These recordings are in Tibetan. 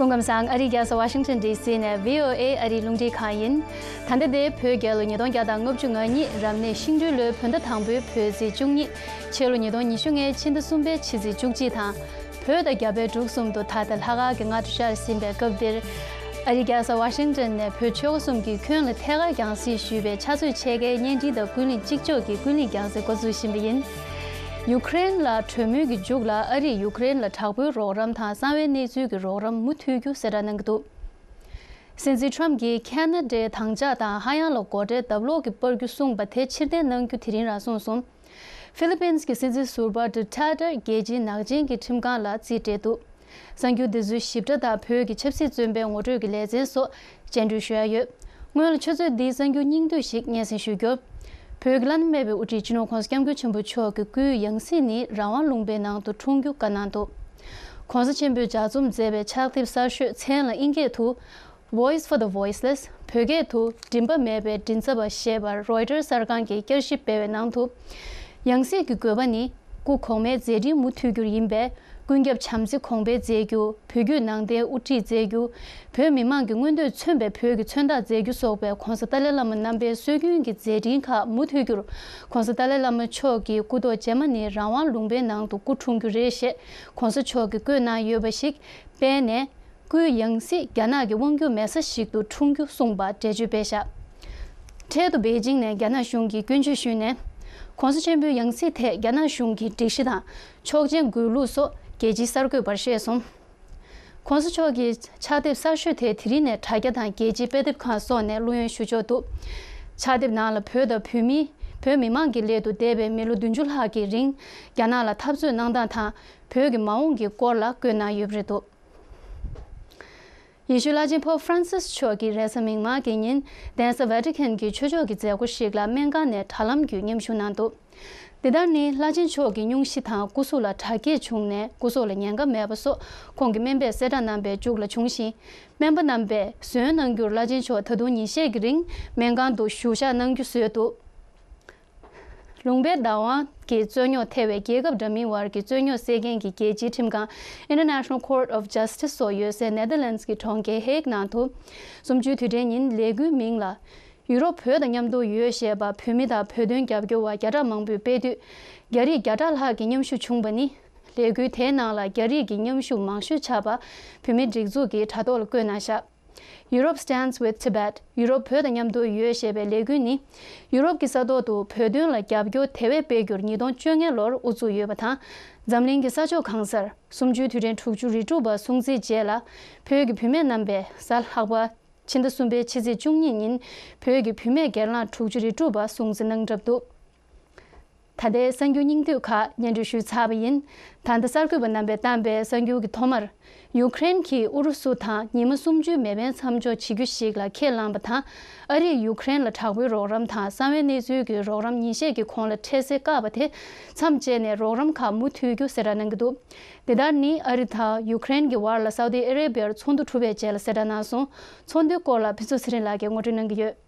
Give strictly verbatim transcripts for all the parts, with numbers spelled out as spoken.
སྐུ་ཁམས་བཟང་། ཨ་རིའི་རྒྱལ་ས་ཝ་ཤིང་ཊོན་ཌི་སི་ནས་བྷི་ཨོ་ཨེ་ཨ་རིའི་རླུང་འཕྲིན་ཁང་ཡིན། ད་ལྟ་དེ་བོད་རྒྱལ་ལོ་ཉིས་སྟོང་བརྒྱ་དང་ལྔ་བཅུ་ང་གཉིས་རབ་གནས་ཤིང་སྦྲུལ་ལོའི་བོད་ཟླ་དང་པོའི་བོད་ཚེས་བཅུ་གཉིས། ཕྱི་ལོ་ཉིས་སྟོང་ཉི་ཤུ་ལྔའི་ཕྱི་ཟླ་གསུམ་པའི་ཕྱི་ཚེས་བཅུ་གཅིག་དང་། བོད་དང་རྒྱ་བལ་འབྲུག་གསུམ་དུ་ད་ལྟ་ལྷག་དཀར་གྱི་སྔ་དྲོ་ཤར་ཟིན་པའི་སྐབས་འདིར། ཨ་རིའི་རྒྱལ་ས་ཝ་ཤིང་ཊོན་ནས་བོད་ཆོལ་ཁ་གསུམ་གྱི་ཁྱོན་ལ་ཐད་ཀར་རྒྱང་སྲིང་ཞུས་པའི་ཕྱག་ཚོད་ཕྱེད་ཀའི་བརྙན་འཕྲིན་དང་ཀུན་གླེང་གཅིག་ལྕོགས་ཀྱི་ཀུན་གླེང་རྒྱང་སྲིང་འགོ་འཛུགས་བཞིན་པ་ཡིན། ཡུཀ་རེན་ལ་གྲོས་མོལ་གྱི་མཇུག་ལ་ཨ་རིས་ཡུཀ་རེན་ལ་དྲག་པོའི་རོགས་རམ་དང་གསང་བའི་གནས་ཚུལ་གྱི་རོགས་རམ་མུ་མཐུད་རྒྱུ་གསལ་བསྒྲགས་གནང་གི་འདུག་སྲིད་འཛིན་ཊམ་གྱིས་ཁེ་ན་ཌའི་དམ་བཅའ་དང་ཧ་ཡང་ལ་སྒོ་ཁྲལ་ལྡབ་ལོག་གིས་སྤར་རྒྱུ་གསུངས་པ་དེ་ཕྱིར་འཐེན་གནང་རྒྱུ་དེ་རིང་རང་གསུངས་སོང་། ཧྥི་ལི་པིན་གྱི་སྲིད་འཛིན་ཟུར་པ་ཌུ་ཊར་ཊེ་རྒྱལ་སྤྱིའི་ནག་ཅན་གྱི་ཁྲིམས་ཁང་ལ་རྩིས་སྤྲད་འདུག་གསར་འགྱུར་འདི་ཚོའི་ཞིབ་ཕྲ་དང་བོད་ཀྱི་ཆབ་སྲིད་བཙོན་པའི་ངོ་སྤྲོད་ཀྱི་ལེ་ཚན་སོགས་སྤྱན་འབུལ་ཞུ་ཡ་ཡོད། སྔོན་ལ་ཆུ་ཚོད་འདིའི་གསར་འགྱུར་སྙིང་བསྡུས་ཤིག་སྙན་སེང་ཞུ་རྒྱུ། བོད་ཀྱི་བླ་ན་མེད་པའི་དབུ་ཁྲིད་སྤྱི་ནོར་༸གོང་ས་༸སྐྱབས་མགོན་ཆེན་པོ་མཆོག་གི་སྐུའི་ཡང་སྲིད་ནི་རང་དབང་ལུང་པའི་ནང་དུ་འཁྲུངས་རྒྱུ་བཀའ་གནང་འདུག ༸གོང་ས་ཆེན་པོས་ལྗགས་རྩོམ་མཛད་པའི་ཕྱག་དེབ་གསར་ཤོས་མཚན་ལ་དབྱིན་སྐད་དུ། Voice for the Voiceless། བོད་སྐད་དུ་མགྲིན་པ་མེད་པའི་མགྲིན་ཚབ་པ་ཞེས་པར་རོའི་ཊར་གསར་ཁང་གིས་བསྐྱར་ཞིབ་སྤེལ་བའི་ནང་དུ། ཡང་སྲིད་ཀྱི་དགོས་པ་ནི། སྐུ་གོང་མའི་མཛད་འཕྲིན་མུ་མཐུད་རྒྱུར་ཡིན་པས། ཀུན་ཁྱབ་བྱམས་བརྩེ་གོང་འཕེལ་མཛད་རྒྱུ། བོད་བརྒྱུད་ནང་བསྟན་དབུ་ཁྲིད་མཛད་རྒྱུ། བོད་མི་མང་གི་མངོན་འདོད་མཚོན་པའི་བོད་ཀྱི་མཚོན་རྟགས་མཛད་རྒྱུ་སོགས་པའི་༸གོང་ས་ཏཱ་ལའི་བླ་མ་རྣམ་པའི་སྲོལ་རྒྱུན་གྱི་མཛད་འཕྲིན་ཁག་མུ་མཐུད་རྒྱུར། ༸གོང་ས་ཏཱ་ལའི་བླ་མ་མཆོག་གི་སྐུ་ཐོག་རྗེས་མ་ནི་རང་དབང་ལུང་པའི་ནང་དུ་སྐུ་འཁྲུངས་རྒྱུ་རེད་ཞེས་༸གོང་ས་མཆོག་གིས་བཀོད་གནང་ཡོད་པ་ཞིག་སྤེལ་ནས། སྐུའི་ཡང་སྲིད་རྒྱ་ནག་གི་དབང་སྒྱུར་མེད་ས་ཞིག་ཏུ་འཁྲུངས་རྒྱུ་གསུངས་པ་འགྲེལ་བརྗོད་སྤེལ་བཞག་འཕྲལ་དུ་པེ་ཅིང་ནས་རྒྱ་ནག་གཞུང་གིས་སྐྱོན་བརྗོད་ཞུས་ནས། ༸གོང་ས་ཆེན་པོའི་ཡང་སྲིད་ཐད་རྒྱ་ནག་གཞུང་གི་སྒྲིག་གཞི་དང་ཆོག་མཆན་དགོས་ལུགས་སོགས་རྒྱལ་སྤྱིའི་གསར་འགོད་པར་བཤད་སོང་། ༸གོང་ས་མཆོག་གི་ཕྱག་དེབ་གསར་ཤོས་དེ་དེ་རིང་ནས་དྲ་རྒྱ་དང་རྒྱལ་སྤྱིའི་དཔེ་དེབ་ཁང་སོགས་ནས་བླུ་ཡོན་ཞུ་ཆོག་འདུག་ཕྱག་དེབ་ནང་ལ་བོད་དང་བོད་མི། བོད་མི་མང་གི་སླད་དུ་འདས་པའི་མི་ལོ་བདུན་ཅུ་ལྷག་གི་རིང་རྒྱ་ནག་ལ་འཐབ་རྩོད་གནང་སྟངས་དང་བོད་ཀྱི་མ་འོངས་ཀྱི་སྐོར་ལ་བཀོད་གནང་ཡོད་པ་རེད་འདུག་ཡེ་ཤུའི་བླ་ཆེན་པོབ་ཧྥ་རན་སིས་མཆོག་གིས་རེས་གཟའ་མིག་དམར་གྱི་ཉིན་གདན་ས་ཝེ་ཏི་ཁན་གྱི་ཆོས་ཕྱོགས་ཀྱི་མཛད་སྒོ་ཞིག་ལ་སྨན་ཁང་ནས་དྲ་ལམ་བརྒྱུད་མཉམ་ཞུགས་གནང་འདུག་འདི་ལྟར་ནི་བླ་ཆེན་མཆོག་གི་སྙུང་གཞི་དང་སྐུ་གཟུགས་ལ་དྲག་སྐྱེད་བྱུང་ནས་སྐུ་སྲོག་ལ་ཉེན་ཁ་མེད་པ་སོགས་ཁོང་གི་སྨན་པས་གསལ་བསྒྲགས་གནང་པའི་མཇུག་ལ་བྱུང་ཞིང་། སྨན་པ་རྣམ་པས་ཟོན་གནང་རྒྱུར་བླ་ཆེན་མཆོག་ད་དུང་ཉིན་ཤས་ཀྱི་རིང་སྨན་ཁང་དུ་བཞུགས་ཞག་གནང་རྒྱུ་བཟོས་འདུག་ལུང་པའི་བདག་དབང་གི་རྩོད་རྙོག་ཐེ་བའི་རྒྱལ་ཁབ་འདྲ་མིན་དབར་གྱི་རྩོད་རྙོག་སེལ་མཁན་གྱི་རྒྱལ་སྤྱིའི་ཁྲིམས་ཁང་International Court of Justice སོགས་ཡོད་སའི་ནེ་དར་ལེན་སི་གི་གྲོང་ཁྱེར་ཧེག་ནང་དུ། གསུམ་བཅུའི་དུས་དྲན་ཉིན་ལས་འགུལ་མིང་ལ། ཡུ་རོབ་བོད་དང་མཉམ་དུ་ཡོད་ཞེས་པ་བོད་མི་དང་བོད་དོན་རྒྱབ་སྐྱོར་བ་བརྒྱ་ཕྲག་མང་པོས་སྤེལ་དུས། རྒྱ་རིགས་བརྒྱ་ཕྲག་ལྷག་གི་མཉམ་ཞུགས་བྱུང་བ་ནི། ལས་འགུལ་དེའི་ནང་ལ་རྒྱ་རིགས་ཀྱི་མཉམ་ཞུགས་མང་ཤོས་ཆགས་པ་བོད་མིའི་སྒྲིག་འཛུགས་ཀྱི་དྲ་ཐོག་ལ་བཀོད་གནང་བཞག Europe Stands with Tibet། ཡུ་རོབ་བོད་དང་མཉམ་དུ་ཡོད་ཞེས་པའི་ལས་འགུལ་ནི། ཡུ་རོབ་ཀྱི་ས་ཐོག་ཏུ་བོད་དོན་ལ་རྒྱབ་སྐྱོར་དེ་བས་སྤེལ་རྒྱུར་ཉིས་སྟོང་བཅོ་ལྔ་ལོར་དབུ་འཛུགས་ཡོད་པ་དང་། འཛམ་གླིང་གི་ས་ཕྱོགས་གང་སར་གསུམ་བཅུའི་དུས་དྲན་དྲུག་ཅུ་རེ་དྲུག་པ་སྲུང་བརྩིའི་རྗེས་ལ། བོད་ཀྱི་བུད་མེད་རྣམ་པས་གཟའ་ལྷག་པ། ཕྱི་ཟླ་གསུམ་པའི་ཕྱི་ཚེས་བཅུ་གཉིས་ཉིན་བོད་ཀྱི་བུད་མེད་སྒེར་ལངས་དྲུག་ཅུ་རེ་དྲུག་པ་སྲུང་བརྩི་གནང་གྲབས་འདུག་ད་ལྟའི་གསར་འགྱུར་སྙིང་བསྡུས་ཁག་སྙན་སྒྲོན་ཞུས་ཚར་བ་ཡིན། ད་ལྟ་གསར་འགོད་པ་རྣམ་པས་བཏང་པའི་གསར་འགྱུར་གྱི་ཐོག་མར། ཡུཀ་རེན་གྱིས་ཨུ་རུ་སུ་དང་ཉི་མ་གསུམ་བཅུའི་མེ་འཕེན་མཚམས་འཇོག་བྱེད་རྒྱུ་ཞིག་ལ་ཁས་བླངས་པ་དང་། ཨ་རིས་ཡུཀ་རེན་ལ་དྲག་པོའི་རོགས་རམ་དང་གསང་བའི་གནས་ཚུལ་གྱི་རོགས་རམ་ཉིན་ཤས་ཀྱི་གོང་ལ་འཕྲལ་སེལ་བཀག་པ་དེ་མཚམས་བཅད་ནས་རོགས་རམ་ཁག་མུ་མཐུད་རྒྱུ་གསལ་བསྒྲགས་གནང་གི་འདུག་དེ་ལྟར་ནི་ཨ་རི་དང་ཡུཀ་རེན་གྱི་བར་ལ་སའུ་ཏི་ཨ་རེ་བྷི་ཡར་ཚོགས་འདུ་གྲུབ་པའི་རྗེས་ལ་གསལ་བསྒྲགས་གནང་སོང་། ཚོགས་འདུའི་སྐོར་ལ་ཕུན་ཚོགས་ཚེ་རིང་ལགས་ཀྱིས་ངོ་སྤྲོད་གནང་གི་ཡོད།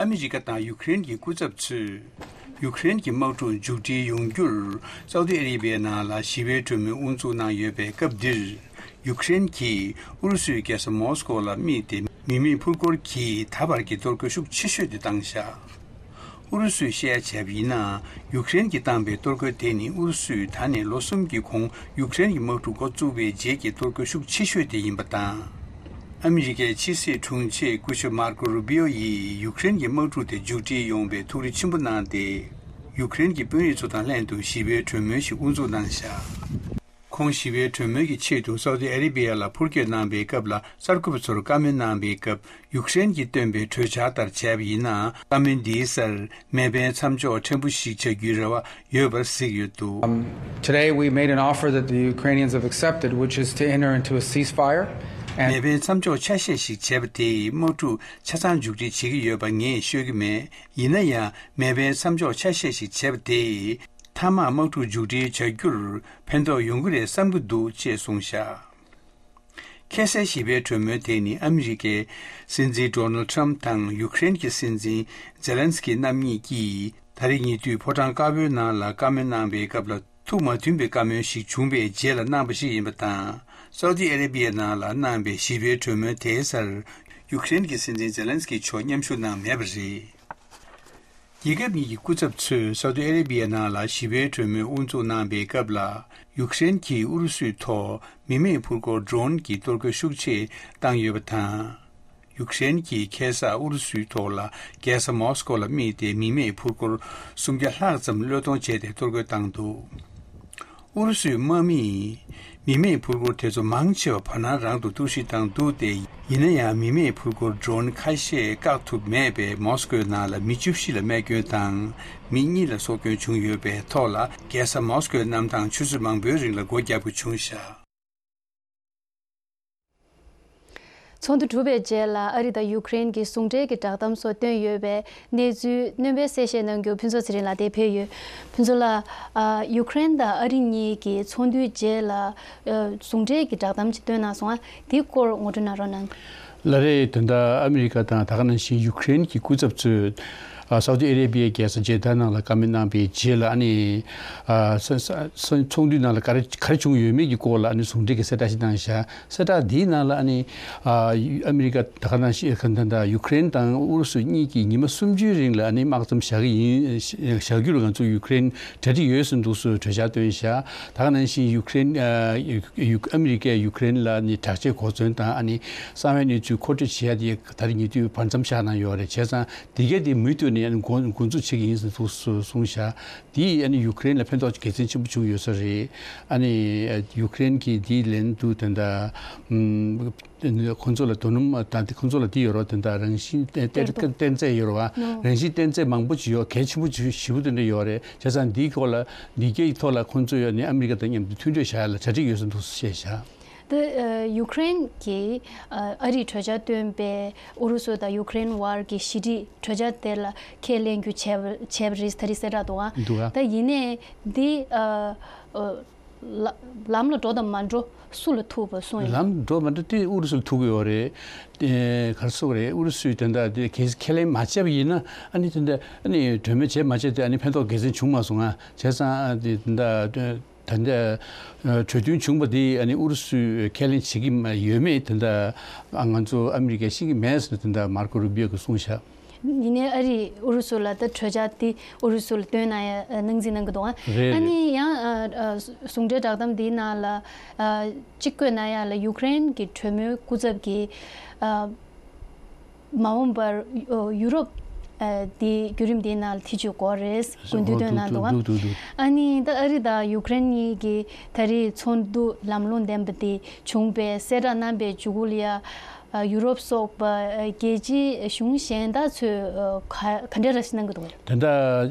ཨ་མི་རི་ཀ་དང་ཡུཀ་རེན་གྱི་སྐུ་ཚབ་ཚོས་ཡུཀ་རེན་གྱི་དམག་འཁྲུག་མཇུག་སྒྲིལ་ཡོང་རྒྱུར་སའུ་ཏི་ཨ་རེ་བྷི་ཡའི་ནང་ལ་ཞི་བའི་གྲོས་མོལ་དབུ་འཛུགས་གནང་ཡོད་པའི་སྐབས་འདིར། ཡུཀ་རེན་གྱིས་ཨུ་རུ་སུའི་རྒྱལ་ས་མོ་སི་ཀོ་ལ་དམིགས་ཏེ་མི་མེད་འཕུར་འཁོར་གྱིས་ད་བར་གྱི་གཏོར་རྒོལ་ཤུགས་ཆེ་ཤོས་དེ་བཏང་བཞག་ཨུ་རུ་སུས་བཤད་ཡ་བྱས་པ་ཡིན་ན། ཡུཀ་རེན་གྱིས་བཏང་པའི་གཏོར་རྒོལ་དེ་ནི་ཨུ་རུ་སུས་ད་ནས་ལོ་གསུམ་གྱི་གོང་ཡུཀ་རེན་གྱི་དམག་འཁྲུག་འགོ་བཙུགས་པའི་རྗེས་ཀྱི་གཏོར་རྒོལ་ཤུགས་ཆེ་ཤོས་དེ་ཡིན་པ་དང་། ཨ་མི་རི་ཀའི་ཕྱི་སྲིད་དྲུང་ཆེ་སྐུ་ཞབས་མར་ཀོ་རུ་པི་ཨོ་ཡིས་ཡུཀ་རེན་གྱི་དམག་འཁྲུག་དེ་མཇུག་སྒྲིལ་ཡོང་བའི་ཐུགས་རེ་ཆེན་པོ་གནང་སྟེ། ཡུཀ་རེན་གྱི་དཔོན་རིགས་ཚོ་དང་ལྷན་དུ་ཞི་བའི་གྲོས་མོལ་ཞིག་དབུ་འཛུགས་གནང་བཞག་ཁོང་ཞི་བའི་གྲོས་མོལ་གྱི་ཆེད་དུ་སའུ་ཏི་ཨ་རེ་བྷི་ཡ་ལ་འཕུར་སྐྱོད་གནང་པའི་སྐབས་ལ་གསར་འགོད་པ་ཚོར་བཀའ་མོལ་གནང་པའི་སྐབས། ཡུཀ་རེན་གྱིས་བཏོན་པའི་གྲོས་འཆར་ལྟར་བྱས་པ་ཡིན་ན། བཀའ་མོལ་འདིའི་སར་མེ་འཕེན་མཚམས་འཇོག་ཕྲན་བུ་ཞིག་བྱ་རྒྱུའི་རེ་བ་ཡོད་པར་གཟིགས་ཡོད་འདུག Um, today we made an offer that the Ukrainians have accepted, which is to enter into a ceasefire. And མེ་འཕེན་མཚམས་འཇོག་ཆ་ཤས་ཤིག་བྱས་པ་དེས་དམག་འཁྲུག་ཆ་ཚང་མཇུག་སྒྲིལ་བྱེད་ཀྱི་ཡོད་པ་ངས་ཤོད་ཀྱི་མེད། ཡིན་ན་ཡང་མེ་འཕེན་མཚམས་འཇོག་ཆ་ཤས་ཤིག་བྱས་པ་དེས་མཐའ་མར་དམག་འཁྲུག་མཇུག་སྒྲིལ་བྱ་རྒྱུར་ཕན་ཐོགས་ཡོང་གི་རེད་བསམ་གྱི་འདུག་ཅེས་གསུངས་བཞག་ཁ་སའི་ཞི་བའི་གྲོས་མོལ་དེ་ནི་ཨ་མི་རི་ཀའི་སྲིད་འཛིན་ཌོ་ནལ་ཊམ་དང་ཡུཀ་རེན་གྱི་སྲིད་འཛིན་ཛེ་ལན་སི་ཀི་རྣམ་གཉིས་ཀྱིས་ད་རེས་ཉེ་དུས་ཕོ་བྲང་དཀར་པོའི་ནང་ལ་བཀའ་མོལ་གནང་བའི་སྐབས་ལ་ ཐུགས་མ་མཐུན་པའི་བཀའ་མོལ་ཞིག་བྱུང་བའི་རྗེས་ལ་གནང་པ་ཞིག་ཡིན་པ་དང་། སའུ་ཏི་ཨ་རེ་བི་ཡའི་ནང་ལ་གནང་པའི་ཞི་བའི་གྲོས་མོལ་དེའི་སར་ཡུཀ་རེན་གྱི་སྲིད་འཛིན་ཛེ་ལན་སི་ཀི་མཆོག་མཉམ་ཞུགས་གནང་མེད་པ་རེད། རྒྱལ་ཁབ་གཉིས་ཀྱི་སྐུ་ཚབ་ཚོས་སའུ་ཏི་ཨ་རེ་བི་ཡའི་ནང་ལ་ཞི་བའི་གྲོས་མོལ་དབུ་འཛུགས་གནང་པའི་སྐབས་ལ། ཡུཀ་རེན་གྱིས་ཨུ་རུ་སུའི་ཐོག་མི་མེད་འཕུར་འཁོར་ཌྲོན་གྱི་གཏོར་རྒོལ་ཤུགས་ཆེ་བཏང་ཡོད་པ་དང་། ཡུཀ་རེན་གྱིས་ཁ་སང་ཨུ་རུ་སུའི་ཐོག་ལ་རྒྱལ་ས་མོ་སི་ཀོ་ལ་དམིགས་ཏེ་མི་མེད་འཕུར་འཁོར་སུམ་བརྒྱ་ལྷག་ཙམ་གློད་གཏོང་བྱས་ཏེ་གཏོར་རྒོལ་བཏང་འདུག་ཨུ་རུ་སུའི་དམག་མིས་མི་མེད་འཕུར་འཁོར་དེ་ཚོ་མང་ཆེ་བ་བར་སྣང་རང་དུ་གཏོར་བཤིག་བཏང་འདུག་སྟེ། ཡིན་ན་ཡང་མི་མེད་འཕུར་འཁོར་ཌྲོན་ཁ་ཤས་བཀག་ཐུབ་མེད་པས། མོ་སི་ཀོའི་ནང་ལ་མི་བཅུ་བཞི་ལ་རྨས་སྐྱོན་དང་། མི་གཉིས་ལ་སྲོག་སྐྱོན་བྱུང་ཡོད་པའི་ཐོག་ལ། རྒྱལ་ས་མོ་སི་ཀོའི་གནམ་ཐང་ཆུ་ཚོད་མང་པོའི་རིང་ལ་སྒོ་བརྒྱབ་དགོས་བྱུང་བཞག་ཚོགས་འདུ་གྲུབ་པའི་རྗེས་ལ། ཨ་རི་དང་ཡུཀ་རེན་གྱི་ཟུང་འབྲེལ་གྱི་བསྒྲགས་གཏམ་སོགས་བཏོན་ཡོད་པའི་གནས་ཚུལ་སྣོན་པའི་གསལ་བཤད་གནང་རྒྱུར་ཕུན་ཚོགས་ཚེ་རིང་ལགས་འདིར་ཕེབས་ཡོད། ཕུན་ཚོགས་ལགས། ཨ། ཡུཀ་རེན་དང་ཨ་རི་གཉིས་ཀྱི་ཚོགས་འདུའི་རྗེས་ལ། ཨ། ཟུང་འབྲེལ་གྱི་བསྒྲགས་གཏམ་ཅིག་བཏོན་གནང་སོང་ང་། དེའི་སྐོར་ངོ་སྤྲོད་གནང་རོགས་གནང་། ལགས་རེད། ད་ལྟ་ཨ་མི་རི་ཀ་དང་ད་ག་ནང་བཞིན་ཡུཀ་རེན་གྱི་སྐུ་ཚབ་ཚོས། ཨ། སའུ་ཏི་ཨ་རེ་བི་ཡའི་རྒྱལ་ས་ཇེ་དཱ་ནང་ལ་བཀའ་མོལ་གནང་པའི་རྗེས་ལ། ཨ་ནི། ཨ། ས་ས་ས་ཚོགས་འདུའི་ནང་ལ་ག་རེ་ག་རེ་བྱུང་ཡོད་མེད་ཀྱི་སྐོར་ལ། ཨ་ནི་ཟུང་འབྲེལ་གྱི་གསལ་བསྒྲགས་ཤིག་གནང་བཞག་གསལ་བསྒྲགས་འདིའི་ནང་ལ། ཨ་ནི། ཨ། ཨ་མི་རི་ཀ་ད་ག་ནང་བཞིན་ད་ལྟ་ཡུཀ་རེན་དང་ཨུ་རུ་སུ་གཉིས་ཀྱིས་ཉི་མ་སུམ་ཅུའི་རིང་ལ། ཨ་ནི། དམག་མཚམས་བཞག་གི་ཡིན། བཞག་རྒྱུར་ང་ཚོ་ཡུཀ་རེན་གྲ་སྒྲིག་ཡོད་ཟེར་འདུག་སེ་གྲོས་འཆར་བཏོན་བཞག་ད་ག་ནང་བཞིན་ཡུཀ་རེན། ཨ། ཡུ་ཡུ་ཨ་མི་རི་ཀས་ཡུཀ་རེན་ལ་ནི་དྲག་ཆས་གོ་མཚོན་དང་། ཨ་ནི། གསང་བའི་གནས་ཚུལ་མཁོ་སྤྲོད་བྱེད་ཡ་དེ་ད་རེས་ཉེ་དུས་བར་མཚམས་བཞག་གནང་ཡོད་རེད། བྱས་ཙང་དེ་གས་དེ་མུ་མཐུད་ནས། ཨ་ནི། འགོ་འགོ་འཛུགས་བྱེད་ཀྱི་ཡིན་ཟེར་འདུག་སེ་གསུངས་བཞག་དེས། ཨ་ནི། ཡུཀ་རེན་ལ་ཕན་ཐོགས་དགེ་མཚན་ཆེན་པོ་བྱུང་ཡོད་ས་རེད། ཨ་ནི། ཡུཀ་རེན་གྱིས་དེའི་ལན་དུ་ད་ལྟ། ཨམ། ཁོ་ཚོ་ལ་དོ་སྣང་ད་ཁོ་ཚོ་ལ་དེ་ཡོད་རེད། ད་ལྟ་རང་བཞིན་གཏེར་གཏེར་གཏེར་རྫས་ཡོད་རེད་བ། རང་བཞིན་གཏེར་རྫས་མང་པོ་ཅིག་ཡོད། གལ་ཆེན་པོ་ཞེ་པོ་དེ་འདྲ་ཡོད་རེད། བྱས་ཙང་འདིའི་སྐོར་ལ། འདི་གའི་ཐོག་ལ་ཁོ་ཚོས་ཡང་ནི་ཨ་མི་རི་ཀ་དང་མཉམ་དུ་མཐུན་གྲོས་བྱ་ཡ་ལ་གྲ་སྒྲིག་ཡོད་ཟེར་འདུག་སེ་བཤད་བཞག་ད་ཡུཀ་རེན་གྱིས་ཨ་རིས་གྲོས་འཆར་བཏོན་པའི་ཨུ་རུ་སུ་དང་ཡུཀ་རེན་བར་གྱི་ཞི་འགྲིག་གྲོས་འཆར་དེ་ལ་ཁས་ལེན་རྒྱུ་བྱས་པ་བྱས་པ་རེད། ད་རེས་གསལ་བསྒྲགས་འདུག་ཨ། འདུག་ཨ། ད་ཡིན་ནའི་འདི་ཨ། ལ་ལམ་ལ་འགྲོ་དང་མ་འགྲོ་སུ་ལ་ཐུག་པ་གསུངས་ཡོད། ལམ་འགྲོ་མ་འགྲོ་དེ་ཨུ་རུ་སུ་ལ་ཐུག་གི་ཡོད་རེད། ཨེ། ག་རེ་ཟེར་དགོས་རེད། ཨུ་རུ་སུས་དེ་འདྲ་དེ་གལ་ཁས་ལེན་མ་བྱས་པ་ཡིན་ན། ཨ་ནི་དེ་འདྲ་ཨ་ནི་གྲོས་མོལ་བྱས་མ་བྱས་དེ་ཨ་ནི་ཕན་ཐོགས་དགེ་མཚན་བྱུང་མ་སོང་ང་། བྱས་ཙང་ཨ་དེ་འདྲ་ད་ལྟ་གྲོས་མཐུན་བྱུང་བ་དེ་ཨ་ནི་ཨུ་རུ་སུས་ཁས་ལེན་བྱེད་ཀྱི་མ་ཡོད་མེད་དེ་འདྲ་ང་ཚོ་ཨ་མི་རི་ཀས་ཤེས་ཀྱི་མེད་ཟེར་ནས་དེ་འདྲ་མར་ཀོ་རུ་བིའོ་གིས་གསུངས་ཤག་ཡིན་ནའི་ཨ་རིས་ཨུ་རུ་སུ་ལ་ད་གྲོས་འཆར་དེ་ཨུ་རུ་སུ་ལ་བཏོན་གནང་ཡ་ཨ་གནང་རྩིས་གནང་གི་འདུག་ཨ། རེད་ཨ་ནི་རེད། ཡང་ཨ་ཨ་ཟུང་འབྲེལ་བསྒྲགས་གཏམ་འདིའི་ནང་ལ་ཨ་གཅིག་བཀོད་གནང་ཡ་ལ། ཡུཀ་རེན་གྱི་གྲོས་མོལ་སྐུ་ཚབ་ཀྱིས་ཨ་མ་འོངས་པར་ཨ་ཡུ་རོབ་ཨ་དེ་བརྒྱུད་རིམ་དེའི་ནང་ལ་ཐེ་བྱུས་དགོས་རེད། སྐུ་མདུན་བཏོན་གནང་འདུག་ཨ། འདུག་འདུག་འདུག་ཨ་ནི་ད་ཨ་རི་དང་ཡུཀ་རེན་གཉིས་ཀྱི་ད་རེས་ཚོགས་འདུ་ལམ་ལྷོང་ལྡན་པ་དེ་བྱུང་བའི་གསལ་བསྒྲགས་གནང་པའི་མཇུག་གུ་ལ་ཡ། ཨ་ཡུ་རོབ་སོགས་པ་ཨ་རྒྱལ་སྤྱིའི་གཞུང་གཞན་དག་ཚོས་ཨ་ག་ག་འདྲ་ར་ཞིག་གནང་གི་འདུག་ད་ལྟ་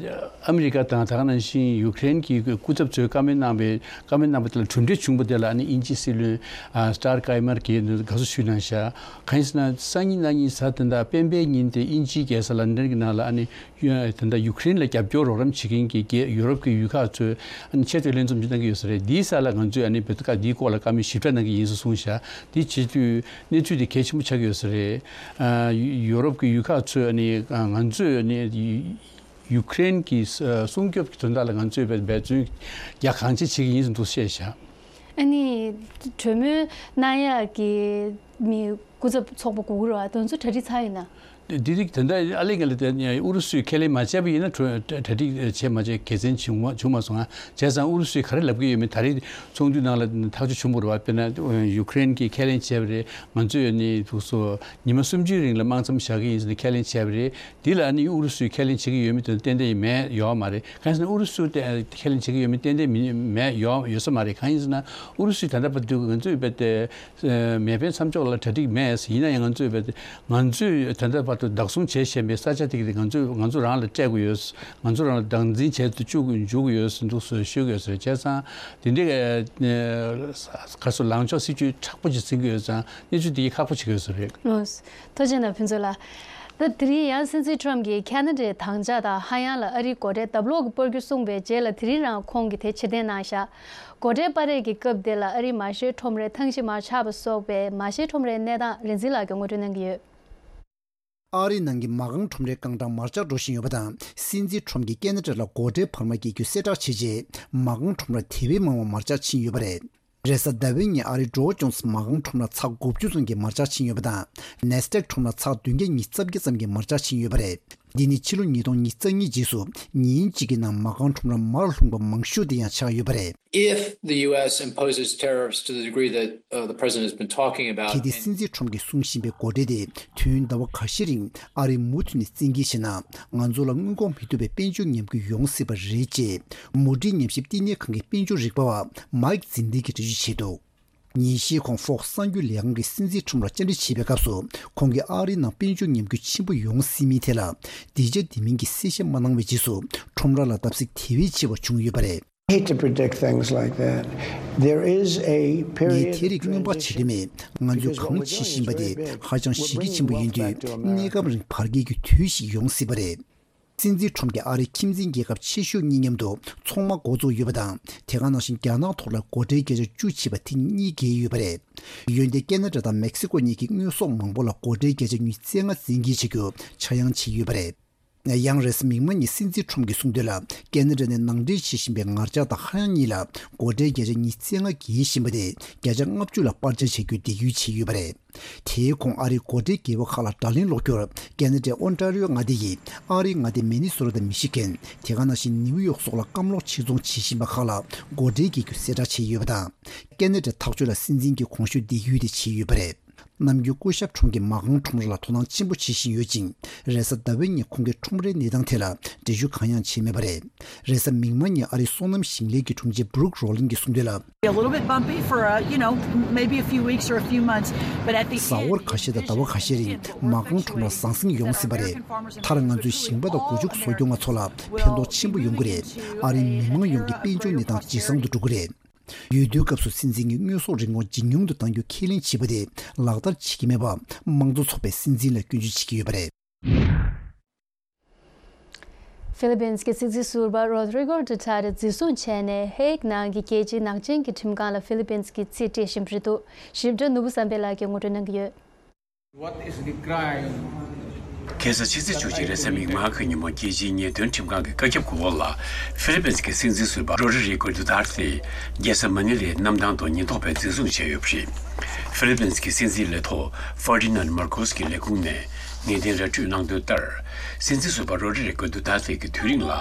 ཨ་མི་རི་ཀ་དང་ད་ག་ནང་བཞིན་ཡུཀ་རེན་གྱི་སྐུ་ཚབ་ཚོས་བཀའ་མོལ་གནང་པའི་བཀའ་མོལ་གནང་པ་དེ་ལ་གྲུབ་འབྲས་བྱུང་བ་དེ་ལ་ཨ་ནི་དབྱིན་ཇིའི་སྲིད་བློན་ཨ་སི་ཏར་ཀར་མར་གྱིས་དགའ་བསུ་ཞུས་གནང་བཞག་གང་ཡིན་ཟེར་ན་སང་ཉིན་གནངས་ཉིན་གཟའ་ད་ལྟ་སྤེན་པའི་ཉིན་དེ་དབྱིན་ཇིའི་རྒྱལ་ས་ལན་ཌན་གྱི་ནང་ལ་ཨ་ནི། ཡ། ད་ལྟ་ཡུཀ་རེན་ལ་རྒྱབ་སྐྱོར་རོགས་རམ་བྱེད་མཁན་གྱི་རྒྱལ་ཡུ་རོབ་ཀྱི་ཡུལ་ཁག་ཚོས་ཨ་ནི་ཆེ་བསྟོད་ལྷན་འཛོམས་ཅིག་གནང་གི་ཡོད་ས་རེད། འདིའི་ས་ལ་ང་ཚོས་ཨ་ནི་བོད་སྐད་འདིའི་སྐོར་ལ་བཀའ་མོལ་ཞིབ་ཕྲ་གནང་གི་ཡིན་ཟེར་གསུངས་བཞག་དེ་བྱེད་དུས་གནས་ཚུལ་དེ་གལ་ཆེན་པོ་ཆགས་ཀྱི་ཡོད་ས་རེད། ཨ་ཡུ་ཡུ་རོབ་ཀྱི་ཡུལ་ཁག་ཚོས་ཨ་ནི་ཨ་ང་ཚོས་ཨ་ནི་ཡུ་ཡུཀ་རེན་གྱི་ཨ་སྲུང་སྐྱོབ་ཀྱི་དོན་དག་ལ་ང་ཚོས་འབད་འབད་བརྩོན་རྒྱ་གང་ཆེ་བྱེད་ཀྱི་ཡིན་ཟེར་འདུག་བཤད་བཞག་ཨ་ནི་གྲོས་མོལ་གནང་ཡག་གི་མི་སྐུ་ཚབ་ཚོགས་པ་དགོས་ཀྱི་རེད་བ། དེ་ཚོ་གྲ་སྒྲིག་ཚར་ཡོད་ན། འདི་རིགས་ད་ལྟ་ཨ་ལེ་ང་ལ་དེ་ཨུ་རུ་སུས་ཁས་ལེན་མ་བྱས་པ་ཡིན་ན་གྲོས་གྲ་སྒྲིག་བྱས་མ་བྱས་དགེ་མཚན་བྱུང་མ་བྱུང་མ་སོང་ང་། བྱས་ཙང་ཨུ་རུ་སུས་ག་རེ་ལབ་ཀྱི་ཡོད་མེད་ད་རེས་ཚོགས་འདུའི་ནང་ལ་ཐག་གཅོད་བྱུང་བ་རེད་བ། དཔེར་ན་ཡུ་ཀེ་རེན་གྱིས་ཁས་ལེན་བྱས་པ་རེད། ང་ཚོས་ནི་དུས་སུ་ཉི་མ་སུམ་ཅུའི་རིང་ལ་དམག་མཚམས་བཞག་གི་ཡིན་ཟེར་ནས་ཁས་ལེན་བྱས་པ་རེད། འདི་ལ་ཨ་ནི་ཨུ་རུ་སུས་ཁས་ལེན་བྱེད་ཀྱི་ཡོད་མེད་དེ་ཏན་ཏན་ཡིན་མེད་ཡོད་མ་རེད། གང་ཡིན་ཟེར་ན་ཨུ་རུ་སུས་དེ་ཁས་ལེན་བྱེད་ཀྱི་ཡོད་མེད་ཏན་ཏན་མི་མེད་ཡོད་ཡོད་ས་མ་རེད། གང་ཡིན་ཟེར་ན་ཨུ་རུ་སུས་ད་ལྟ་བར་དུ་ང་ཚོས་བས་ཏེ་མེ་འཕེན་མཚམས་འཇོག་ལ་གྲ་སྒྲིག་མེད་ཡིན་ན་ཡང་ང་ཚོས་བས་ཏེ་ང་ཚོས་ད་ལྟ་བར་དུ་བདག་བཟུང་བྱས་བཞིན་པའི་ས་ཆ་དེ་ག་དེ་ང་ཚོས་ང་ཚོ་རང་ལ་སྤྲད་དགོས་ཡོད། ང་ཚོ་རང་ལ་བདག་འཛིན་བྱས་ཏེ་བཅུག་འཇུག་དགོས་ཡོད་ཟེར་འདུག་ཟེར་ཤོད་དགོས་ཟེར། བྱས་ཙང་དེ་འདྲའི་ག་སོ་ལངས་ཕྱོགས་སྲིད་ཇུས་མཁྲེགས་པོ་ཅིག་འཛིན་གྱི་ཡོད་ཙང་གནས་ཚུལ་དེ་ཁག་པོ་ཆགས་ཀྱི་ཡོད་ས་རེད། ཐུགས་རྗེ་གནང་ཕུན་ཚོགས་ལགས། ད་དེ་རིང་ཡང་སྲིད་འཛིན་ཁྲོམ་གྱིས་ཁ་ན་ཌའི་དམ་བཅའ་དང་ཧ་ཡང་ལ་ཨ་རིའི་སྒོ་ཁྲལ་ལྡབ་ལོག་གིས་སྤར་རྒྱུ་གསུངས་པའི་རྗེས་ལ་དེ་རིང་རང་ཁོང་གིས་དེ་ཕྱིར་འཐེན་གནང་བཞག་སྒོ་ཁྲལ་སྤར་རེས་ཀྱི་སྐབས་དེ་ལ་ཨ་རིའི་མ་ཤེས་ཁྲོམ་རའི་ཐང་གཞི་མར་ཆག་པ་སོགས་པའི་མ་ཤེས་ཁྲོམ་རའི་གནས་སྟངས་རིག་འཛིན་ལགས་ཀྱིས་ངོ་སྤྲོད་གནང་གི་ཡོད། ཨ་རིའི་ནང་གི་མ་རྐང་ཁྲོམ་རའི་རྐང་གྲངས་མར་ཆག་འགྲོ་བཞིན་ཡོད་པ་དང་། སྲིད་འཛིན་ཁྲོམ་གྱིས་ཁེ་ན་ཌ་ལ་སྒོ་ཁྲལ་འཕར་མ་བཀལ་རྒྱུ་གསལ་བསྒྲགས་བྱས་རྗེས། མ་རྐང་ཁྲོམ་ར་དེ་བས་མང་བ་མར་ཆག་ཕྱིན་ཡོད་པ་རེད། རེས་གཟའ་ཟླ་བའི་ཉིན་ཨ་རིའི་Dow Jones་མ་རྐང་ཁྲོམ་ར་ཚེག་དགུ་བཅུ་ཙམ་གྱིས་མར་ཆག་ཕྱིན་ཡོད་པ་དང་། Nasdaq་ཁྲོམ་ར་ཚེག་བདུན་བརྒྱ་ཉི་ཤུ་རྩ་བརྒྱད་ཙམ་གྱིས་མར་ཆག་ཕྱིན་ཡོད་པ་རེད། འདི་ནི་ཕྱི་ལོ་ཉིས་སྟོང་ཉི་ཤུ་རྩ་གཉིས་རྗེས་སུ་ཉིན་གཅིག་གི་ནང་མ་རྐང་ཁྲོམ་ར་མར་ལྷུང་པ་མང་ཤོས་དེ་ཡང་ཆགས་ཡོད་པ་རེད། If the U S imposes tariffs to the degree that, uh, the president has been talking about, གལ་ཏེ་སྲིད་འཛིན་ཁྲོམ་གྱིས་གསུང་བཞིན་པའི་སྒོ་ཁྲལ་དེ་དུས་ཡུན་ཟླ་བ་ཁ་ཤས་རིང་ཨ་རིས་མུ་མཐུད་ནས་བཙན་འགེལ་བྱས་ན། ང་ཚོ་ལ་སྔོན་འགོག་མི་ཐུབ་པའི་དཔལ་འབྱོར་ཉམས་རྒུད་ཡོང་སྲིད་པ་རེད། ཅེས་མུ་ཌི་ཉམས་ཞིབ་བསྟི་གནས་ཁང་གི་དཔལ་འབྱོར་རིག་པ་བ་Mike Zinli་གིས་འགྲེལ་བརྗོད་བྱས་འདུག་ཉིན་ཤས་གོང་Fox་གསར་འགྱུར་ལས་ཁང་གིས་སྲིད་འཛིན་ཁྲོམ་ར་བཅར་འདྲི་བྱེད་པའི་སྐབས་སུ། ཁོང་གིས་ཨ་རིའི་ནང་དཔལ་འབྱོར་ཉམས་རྒུད་ཆེན་པོ་ཡོང་སྲིད་མིན་ཐད་ལ་འདི་བྱ་འདི་མིན་གྱི་གསལ་བཤད་མ་གནང་བའི་རྗེས་སུ། ཁྲོམ་ར་ལ་བརྡབ་གསིག་དེ་བས་ཆེ་བ་བྱུང་ཡོད་པ་རེད། Hate to predict things like that. There is a ངས་period དེ་རིགས་སྔོན་དཔག་བྱེད་ཐུབ་མེད། ང་ཚོའི་གང་བྱེད་བཞིན་པ་དེ་ཧ་ཅང་གཞི་རྒྱ་ཆེན་པོ་ཡིན་དུས། གནས་སྐབས་རིང་བར་བརྒལ་གྱི་དུས་ཤིག་ཡོང་སྲིད་པ་རེད། སྲིད་འཛིན་ཁྲོམ་གྱིས་ཨ་རིའི་ཁྱིམ་མཚེས་རྒྱལ་ཁབ་ཆེ་ཤོས་གཉིས་མཉམ་དུ་ཚོང་མ་འགོ་བཙུགས་ཡོད་པ་དང་། དེ་ག་ནང་བཞིན་རྒྱ་ནག་ཐོག་ལ་སྒོ་ཁྲལ་བརྒྱ་ཆ་བཅུ་བྱས་པ་དེ་གཉིས་བརྒལ་ཡོད་པ་རེད། འོན་ཏེ་ཁེ་ན་ཌ་དང་མེག་སི་ཀོ་གཉིས་ཀྱིས་དངོས་ཟོག་མང་པོ་ལ་སྒོ་ཁྲལ་བརྒྱ་ཆ་ཉི་ཤུ་རྩ་ལྔ་བཙན་འགེལ་བྱ་རྒྱུ་ཆག་ཡང་བྱས་ཡོད་པ་རེད། ཡང་རེས་གཟའ་མིག་དམར་ཉིན་སྲིད་འཛིན་ཁྲོམ་གྱིས་གསུངས་དོན་ལ། ཁེ་ན་ཌ་ནས་ནང་འདྲེན་བྱེད་བཞིན་པའི་ངར་ལྕགས་དང་ཧ་ཡང་གཉིས་ལ་སྒོ་ཁྲལ་བརྒྱ་ཆ་ཉི་ཤུ་རྩ་ལྔ་འགེལ་བཞིན་པ་དེ་བརྒྱ་ཆ་ལྔ་བཅུ་ལ་སྤར་ཆ་བྱ་རྒྱུའི་འདེད་སྐུལ་བྱས་ཡོད་པ་རེད། དེའི་གོང་ཨ་རིའི་སྒོ་ཁྲལ་འགེལ་བ་ཁག་ལ་བརྡ་ལན་སློག་རྒྱུར། ཁེ་ན་ཌའི་ཨོན་ཊ་རི་ཡོ་མངའ་སྡེ་ཡིས་ཨ་རིའི་མངའ་སྡེ་མི་ནི་སོ་ཊ་དང་མི་ཤི་གན། དེ་ག་ནང་བཞིན་ནིའུ་ཡོག་སོགས་ལ་སྐམ་ལོག་ཕྱིར་ཚོང་བྱེད་བཞིན་པ་ཁག་ལ་སྒོ་ཁྲལ་འགེལ་རྒྱུ་གསལ་བསྒྲགས་བྱས་ཡོད་པ་དང་། ཁེ་ན་ཌའི་ཐག་གཅོད་ལ་སྲིད་འཛིན་གྱིས་གོང་ཞུས་འདེད་སྐུལ་དེ་བྱས་ཡོད་པ་རེད། ནམ་རྒྱུན་སྐུ་ཞབས་ཁྲོམ་གྱིས་མ་རྐང་ཁྲོམ་ར་ལ་དོ་སྣང་ཆེན་པོ་བྱེད་བཞིན་ཡོད་ཅིང་། རེས་གཟའ་ཟླ་བའི་ཉིན་ཁོང་གིས་ཁྲོམ་རའི་གནས་སྟངས་ཐད་ལ་འགྲེལ་བརྗོད་གང་ཡང་བྱས་མེད་པ་རེད། རེས་གཟའ་མིག་དམར་ཉིན་ཨ་རིའི་སོ་ནམ་ཞིང་ལས་ཀྱི་དྲུང་ཆེ་Brooke Roland་གྱིས་གསུངས་དོན་ལ། Be a little bit bumpy for, uh, you know, maybe a few weeks or a few months, but at the གཟའ་འཁོར་ཁ་ཤས་དང་ཟླ་བ་ཁ་ཤས་རིང་མ་རྐང་ཁྲོམ་ར་ཟང་ཟིང་ཡོང་སྲིད་པ་རེད། མཐར་ང་ཚོའི་ཞིང་པ་དང་སྒོ་ཕྱུགས་གསོ་སྐྱོང་བ་ཚོ་ལ་ཕན་ཐོགས་ཆེན་པོ་ཡོང་གི་རེད། ཨ་རིའི་མི་མང་ཡོངས་ཀྱི་དཔལ་འབྱོར་གནས་སྟངས་ཇེ་བཟང་དུ་འགྲོ་གི་རེད། འོས་བསྡུའི་སྐབས་སུ་སྲིད་འཛིན་གྱིས་དངོས་ཟོག་རིན་གོང་ཇེ་ཉུང་དུ་གཏང་རྒྱུ་ཁས་ལེན་བྱས་པ་དེ་ལག་བསྟར་བྱེད་ཀྱི་མེད་པར་དམངས་གཙོ་ཚོགས་པས་སྲིད་འཛིན་ལ་སྐྱོན་བརྗོད་བྱེད་ཀྱི་ཡོད་པ་རེད། ཧྥི་ལི་པིན་གྱི་སྲིད་འཛིན་ཟུར་པ་རོ་དྲི་གོ་ཌུ་ཐར་ཏེ་འཛིན་བཟུང་བྱས་ནས་ཧེག་ནང་གི་རྒྱལ་སྤྱིའི་ནག་ཅན་གྱི་ཁྲིམས་ཁང་ལ་ཧྥི་ལི་པིན་གྱིས་རྩིས་སྤྲད་བཞིན་པ་རེད་འདུག་ཞིབ་ཕྲ་ནོར་བུ་བསམ་འཕེལ་ལགས་ཀྱིས་ངོ་སྤྲོད་གནང་གི་ཡོད། What is the crime? ཁ་སང་ཕྱི་ཚེས་བཅུ་གཅིག་རེས་གཟའ་མིག་དམར་གྱི་ཉིན་མོ་རྒྱལ་སྤྱིའི་ཉེས་དོན་ཁྲིམས་ཁང་གི་བཀའ་ཁྱབ་གུ་འོག་ལ་ཧྥི་ལི་པིན་གྱི་སྲིད་འཛིན་ཟུར་པ་རོ་ཌི་རི་གོ་ཌུ་ཐར་ཏེ་རྒྱལ་ས་མ་ནི་ལའི་གནམ་ཐང་དུ་ཉེན་རྟོག་པས་འཛིན་བཟུང་བྱས་ཡོད་པ་རེད། ཧྥི་ལི་པིན་གྱི་སྲིད་འཛིན་ལས་ཐོག་ཧྥར་ཌི་ནན་མར་ཁོས་ཀྱི་ལས་ཁུངས་ནས་ངེས་གཏན་ར་སྤྲོད་གནང་དོན་ལྟར། སྲིད་འཛིན་ཟུར་པ་རོ་ཌི་རི་གོ་ཌུ་ཐར་ཏེ་གྱི་དུས་རིང་ལ་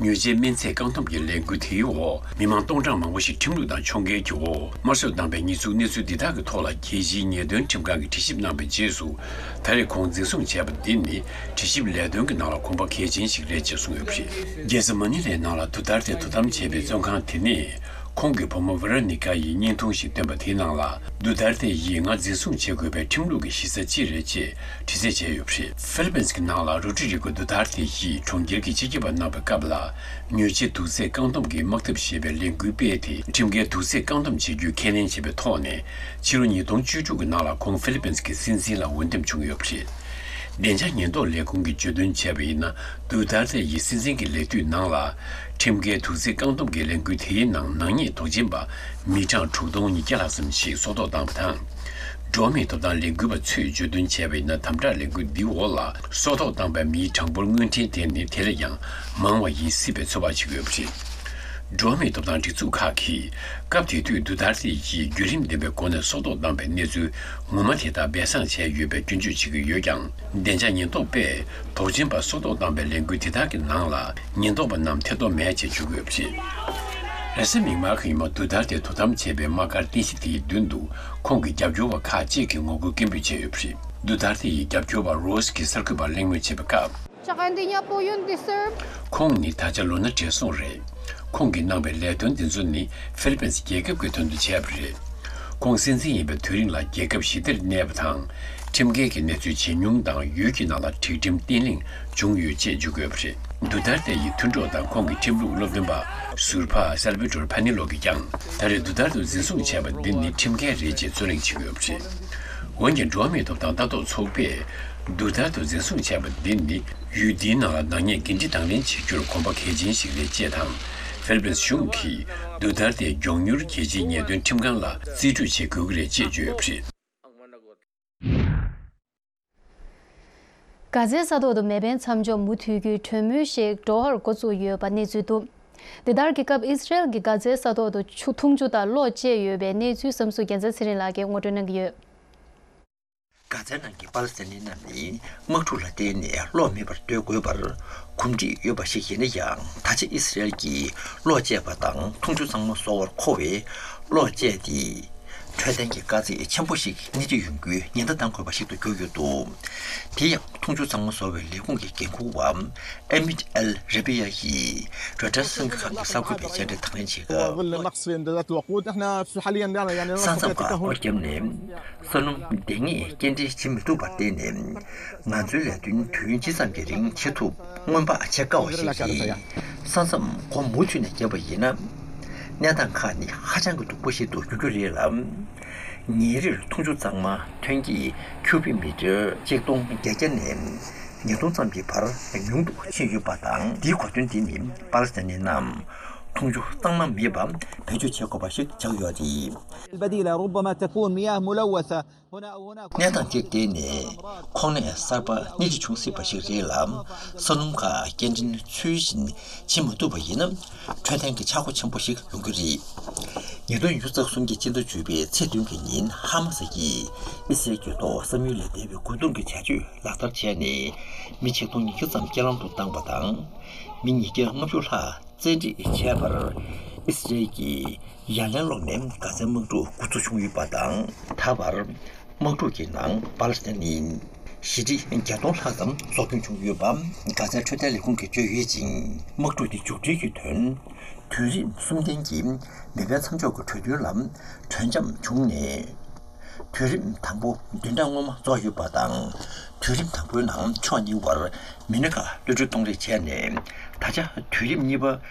མྱོས་བྱེད་སྨན་རྫས་བཀག་སྡོམ་གྱི་ལས་འགུལ་དེའི་འོག་མི་མང་སྟོང་ཕྲག་མང་པོ་ཞིག་ཁྲིམས་ལུགས་དང་ཕྱོགས་འགལ་གྱི་འོག་དམར་གསོད་བཏང་པའི་ཉེས་འཛུགས་གནས་ཚུལ་འདི་དག་གི་ཐོག་ལ་རྒྱལ་སྤྱིའི་ཉེས་དོན་ཁྲིམས་ཁང་གིས་དྲི་ཞིབ་གནང་བའི་རྗེས་སུ། ད་རེས་ཁོང་འཛིན་བཟུང་བྱས་པ་འདི་ནི་དྲི་ཞིབ་ལས་དོན་གྱི་ནང་ལ་གོམ་པ་གལ་ཆེན་ཞིག་རེད་ཅེས་གསུངས་ཡོད་པ་རེད། རྒྱལ་ས་མ་ནི་ལའི་ནང་ལ་དུ་ཐར་ཏེ་དོ་དམ་བྱས་པའི་བཙོན་ཁང་དེ་ནས་ཁོང་གི་བུ་མོ་ཝེ་རོ་ནི་ཀ་ཡིས་བརྙན་ཐུང་ཞིག་བཏོན་པ་དེའི་ནང་ལ། དུ་ཐར་ཏེ་ཡིས་ང་འཛིན་བཟུང་བྱེད་དགོས་པའི་ཁྲིམས་ལུགས་ཀྱི་གཞི་རྩ་ཅི་རེད་ཅེས་དྲི་རྩད་བྱས་ཡོད་པ་རེད། ཧྥི་ལི་པིན་གྱི་ནང་ལ་རོ་ཌི་རི་གོ་དུ་ཐར་ཏེ་ཡིས་གྲོང་ཁྱེར་གྱི་སྤྱི་ཁྱབ་པ་གནང་བའི་སྐབས་ལ། མྱོས་བྱེད་དུག་རྫས་བཀག་སྡོམ་གྱི་དམག་འཐབ་ཞེས་པའི་ལས་འགུལ་སྤེལ་ཏེ། ཁྲིམས་འགལ་དུག་རྫས་བཀག་སྡོམ་བྱེད་རྒྱུའི་ཁས་ལེན་བྱས་པའི་ཐོག་ནས། ཕྱི་ལོ་ཉིས་སྟོང་བཅུ་དྲུག་གི་ནང་ལ་ཁོང་ཧྥི་ལི་པིན་གྱི་སྲིད་འཛིན་ལ་འོས་འདེམས་བྱུང་ཡོད་པ་རེད། བདེ་འཇགས་ཉེན་རྟོག་ལས་ཁུངས་ཀྱིས་བརྗོད་དོན་བྱས་པ་ཡིན་ན། དུ་ཐར་ཏེ་ཡི་སྲིད་འཛིན་གྱི་ལས་དུས་ནང་ལ། ཁྲིམས་འགལ་དུག་རྫས་བཀག་སྡོམ་གྱི་ལས་འགུལ་དེའི་ནང་ནག་ཉེས་དོགས་ཅན་པ་མི་གྲངས་དྲུག་སྟོང་ཉིས་བརྒྱ་ལྷག་ཙམ་ཞིག་སྲོག་ཐོག་བཏང་བ་དང་། འགྲོ་བ་མིའི་ཐོབ་ཐང་ལས་འགུལ་བ་ཚོས་བརྗོད་དོན་བྱས་པ་ཡིན་ན། དམ་དྲག་ལས་འགུལ་འདིའི་འོག་ལ་སྲོག་ཐོག་བཏང་པའི་མིའི་གྲངས་འབོར་དངོས་འཕྲིན་དེ་ནི་དེ་ལས་ཀྱང་མང་བ་ཡིན་སྲིད་པའི་ཚོད་དཔག་བྱེད་ཀྱི་ཡོད་པ་རེད། འགྲོ་བ་མིའི་ཐོབ་ཐང་སྒྲིག་འཛུགས་ཁག་གིས་སྐབས་དེ་དུས་དུ་ཐར་ཏེ་ཡིས་བརྒྱུད་རིམ་ལྡན་པའི་སྒོ་ནས་སྲོག་ཐོག་བཏང་པའི་གནས་ཚུལ་ངོ་མ་དེ་དག་སྦས་གསང་བྱས་ཡོད་པའི་སྐྱོན་བརྗོད་བྱེད་ཀྱི་ཡོད་ཀྱང་། བདེ་འཇགས་ཉེན་རྟོག་པས་དོགས་ཅན་པ་སྲོག་ཐོག་བཏང་པའི་ལས་འགུལ་དེ་དག་གི་ནང་ལ་ཉེན་རྟོག་པ་རྣམས་ཐེ་གཏོགས་མེད་ཅེས་བརྗོད་ཀྱི་ཡོད་པ་རེད། རེས་གཟའ་མིག་དམར་གྱི་ཉིན་མོ་དུ་ཐར་ཏེ་དོ་དམ་བྱས་པའི་དམག་སྒར་རྟེན་གཞི་དེའི་མདུན་དུ་ཁོང་གི་རྒྱབ་སྐྱོར་བ་ཁག་ཅིག་གིས་ངོ་རྒོལ་སྐད་འབོད་བྱས་ཡོད་པ་རེད། དུ་ཐར་ཏེ་ཡི་རྒྱབ་སྐྱོར་བ་རོས་ཀྱིས་གསར་འགོད་པར་གླེང་མོལ་བྱས་པའི་སྐབས། Tsaka hindi niya po yun deserve. ཁོང་ནི་ད་ཆ་ལོ་ན་བགྲེས་སོང་རེད། ཁོང་གིས་གནང་བའི་ལས་དོན་འདི་ཚོ་ནི་ཧྥི་ལི་པིན་རྒྱལ་ཁབ་ཀྱི་དོན་དུ་བྱས་པ་རེད། ཁོང་སྲིད་འཛིན་ཡིན་པའི་དུས་རིང་ལ་རྒྱལ་ཁབ་ཞི་བདེར་གནས་པ་དང་། ཁྲིམས་འགལ་གྱི་གནས་ཚུལ་ཇེ་ཉུང་དང་། ཡུལ་གྱི་ནང་ལ་སྒྲིག་ཁྲིམས་བརྟན་ལྷིང་བྱུང་ཡོད་ཅེས་བརྗོད་དགོས་པ་རེད། དུ་ཐར་ཏེ་ཡི་མཐུན་གྲོགས་དང་ཁོང་གི་ཁྲིམས་ལུགས་སློབ་སྟོན་པ་ཟུར་པ་སལ་བི་ཏོར་ཕ་ནི་ལོ་གིས་ཀྱང་། ད་རེས་དུ་ཐར་ཏེ་འཛིན་བཟུང་བྱས་པ་འདི་ནི་ཁྲིམས་འགལ་རེད་ཅེས་རྩོད་གླེང་བྱེད་ཀྱི་ཡོད་པ་རེད། འོན་ཀྱང་། འགྲོ་བ་མིའི་ཐོབ་ཐང་ལྟ་རྟོག་ཚོགས་པས། དུ་ཐར་ཏེ་འཛིན་བཟུང་བྱས་པ་འདི་ནི་ཡུལ་འདིའི་ནང་ལ་ནག་ཉེས་འགན་འཁྲི་དང་ལེན་བྱེད་རྒྱུར་གོམ་པ་གལ་ཆེན་ཞིག་རེད་ཅེས་དང་། ཧྥི་ལི་པིན་གཞུང་གིས་དུ་ཐར་ཏེ་མགྱོགས་མྱུར་རྒྱལ་སྤྱིའི་ཉེས་དོན་ཁྲིམས་ཁང་ལ་རྩིས་སྤྲོད་བྱེད་དགོས་ཀྱི་རེད་ཅེས་བརྗོད་ཡོད་པ་རེད། གྷ་ཛའི་ས་ཐོག་ཏུ་མེ་འཕེན་མཚམས་འཇོག་མུ་མཐུད་རྒྱུའི་གྲོས་མོལ་ཞིག་འགྲོ་བར་འགོ་བཙུགས་ཡོད་པ་གནས་ཚུལ་འདུག་དེ་ལྟར་གྱི་སྐབས་ཨི་སི་རེལ་གྱིས་གྷ་ཛའི་ས་ཐོག་ཏུ་ཆུ་འཐུང་ཆུ་དང་གློག་བཅད་ཡོད་པའི་གནས་ཚུལ་བསམ་གཟུགས་རྒྱལ་མཚན་ཚེ་རིང་ལགས་ཀྱིས་ངོ་སྤྲོད་གནང་གི་ཡོད། གྷ་ཛའི་ནང་གི་པ་ལི་སི་ཐན་ནི་རྣམས་ནི་དམག་འཁྲུག་ལ་བརྟེན་ནས་གློག་མེད་པར་སྡོད་དགོས་པར་གོམས་འདྲིས་ཡོད་པ་ཞིག་ཡིན་ན་ཡང་། ད་ཆ་ཨི་སི་རེལ་གྱིས་གློག་བཅད་པ་དང་འཐུང་ཆུ་གཙང་མ་བཟོ་བར་མཁོ་བའི་གློག་བཅད་དེ། འཕྲོད་བསྟེན་གྱི་དཀའ་ཚེགས་ཆེན་པོ་ཞིག་སྣེ་ཁྲིད་ཡོང་རྒྱུའི་ཉེན་བརྡ་གཏང་དགོས་པ་ཞིག་ཏུ་གྱུར་ཡོད་འདུག་དེ་ཡང་འཐུང་ཆུ་གཙང་མ་བཟོ་བའི་ལས་ཁུངས་ཀྱི་འགན་འཁུར་བ་ཨེ་མིད་ཨེལ་རེ་པི་ཡ་ཡིས་རོའི་ཊར་གསར་འགྱུར་ཁང་གི་གསར་འགོད་པའི་བཅར་འདྲི་དང་ལེན་བྱེད་སྐབས། ས་མཚམས་ཁག་སྒོ་བརྒྱབ་ནས་ས་སྣུམ་འདེད་མཁན་སྐྱེལ་འདྲེན་བྱེད་མི་ཐུབ་པར་བརྟེན་ནས། ང་ཚོའི་ལས་དོན་དུས་ཡུན་ཇི་ཙམ་གྱི་རིང་བྱེད་ཐུབ་སྔོན་དཔག་བྱེད་དཀའ་བ་ཞིག་རེད། ས་མཚམས་སྒོ་མུ་མཐུད་ནས་བརྒྱབ་པ་ཡིན་ན། གནས་སྟངས་ཁག་ནི་ཧ་ཅང་གི་སྡུག་པོ་ཞིག་ཏུ་འགྱུར་རྒྱུ་རེད་ལ། ཉིན་རེར་འཐུང་ཆུ་གཙང་མ་ཐོན་སྐྱེད་ཁྱུ་བིག་མི་ཊར་གཅིག་སྟོང་བརྒྱད་བརྒྱ་ནས་ཉིས་སྟོང་ཙམ་གྱི་བར་ཉུང་དུ་ཕྱིན་ཡོད་པ་དང་། འདིའི་གོ་དོན་འདི་ནི་པ་ལི་སི་ཐན་ནི་རྣམས་འཐུང་ཆུ་གཙང་མ་མེད་པ་བེད་སྤྱོད་བྱེད་དགོས་པ་ཞིག་ཆགས་ཡོད་རེད། البديلة ربما تكون مياه ملوثة هنا أو هناك. གནས་སྟངས་འདིར་བརྟེན་ནས་ཁོང་ནད་གསར་པ་སྣེ་ཁྲིད་བྱུང་སྲིད་པ་ཞིག་རེད་ལ། ས་སྣུམ་ཁག་སྐྱེལ་འདྲེན་ཚུལ་བཞིན་བྱེད་མ་ཐུབ་པ་ཡིན་ན། འཕྲོད་བསྟེན་གྱི་ཆག་སྒོ་ཆེན་པོ་ཞིག་ཡོང་གི་རེད། ཉིས་སྟོང་ཉི་ཤུ་རྩ་གསུམ་གྱི་སྤྱི་ཟླ་བཅུ་པའི་ཚེས་བདུན་གྱི་ཉིན་ཧ་མ་སི་ཡིས་ཨི་སི་རེལ་གྱི་ཐོག་བསམ་ཡུལ་ལས་འདས་པའི་རྒོལ་རྡུང་གི་བྱ་སྤྱོད་ལག་བསྟར་བྱས་ནས་མི་ཆིག་སྟོང་ཉིས་བརྒྱ་ཙམ་རྐྱེན་ལམ་དུ་བཏང་པ་དང་། མི་ཉིས་བརྒྱ་ལྔ་བཅུ་ལྷག་བཙན་ཁྲིད་བྱས་པར། ཨི་སི་རེལ་གྱིས་ཡ་ལན་སློག་ནས་གྷ་ཛའི་དམག་འཁྲུག་འགོ་འཛུགས་བྱུང་ཡོད་པ་དང་། ད་བར་དམག་འཁྲུག་གི་ནང་པ་ལི་སི་ཐན་ནི་ཞི་འགྲིག་བརྒྱ་སྟོང་ལྷག་ཙམ་སྲོག་སྐྱོན་བྱུང་ཡོད་པ་གྷ་ཛའི་འཕྲོད་བསྟེན་ལས་ཁུངས་ཀྱིས་བརྗོད་ཡོད་ཅིང་། དམག་འཁྲུག་དེ་མཇུག་སྒྲིལ་གྱི་དོན། དུས་རིམ་གསུམ་ལྡན་གྱི་མེ་འཕེན་མཚམས་འཇོག་གི་གྲོས་མཐུན་ལ་གྲོས་འཆམ་བྱུང་ནས། དུས་རིམ་དང་པོ་བདུན་ཕྲག་སྔོན་མ་རྫོགས་ཡོད་པ་དང་། དུས་རིམ་དང་པོའི་ནང་ཕྱོགས་གཉིས་བར་མི་སྣ་ཁག་གློད་གྲོལ་གཏོང་རེས་བྱས་ནས། ད་ཆ་དུས་རིམ་གཉིས་པ་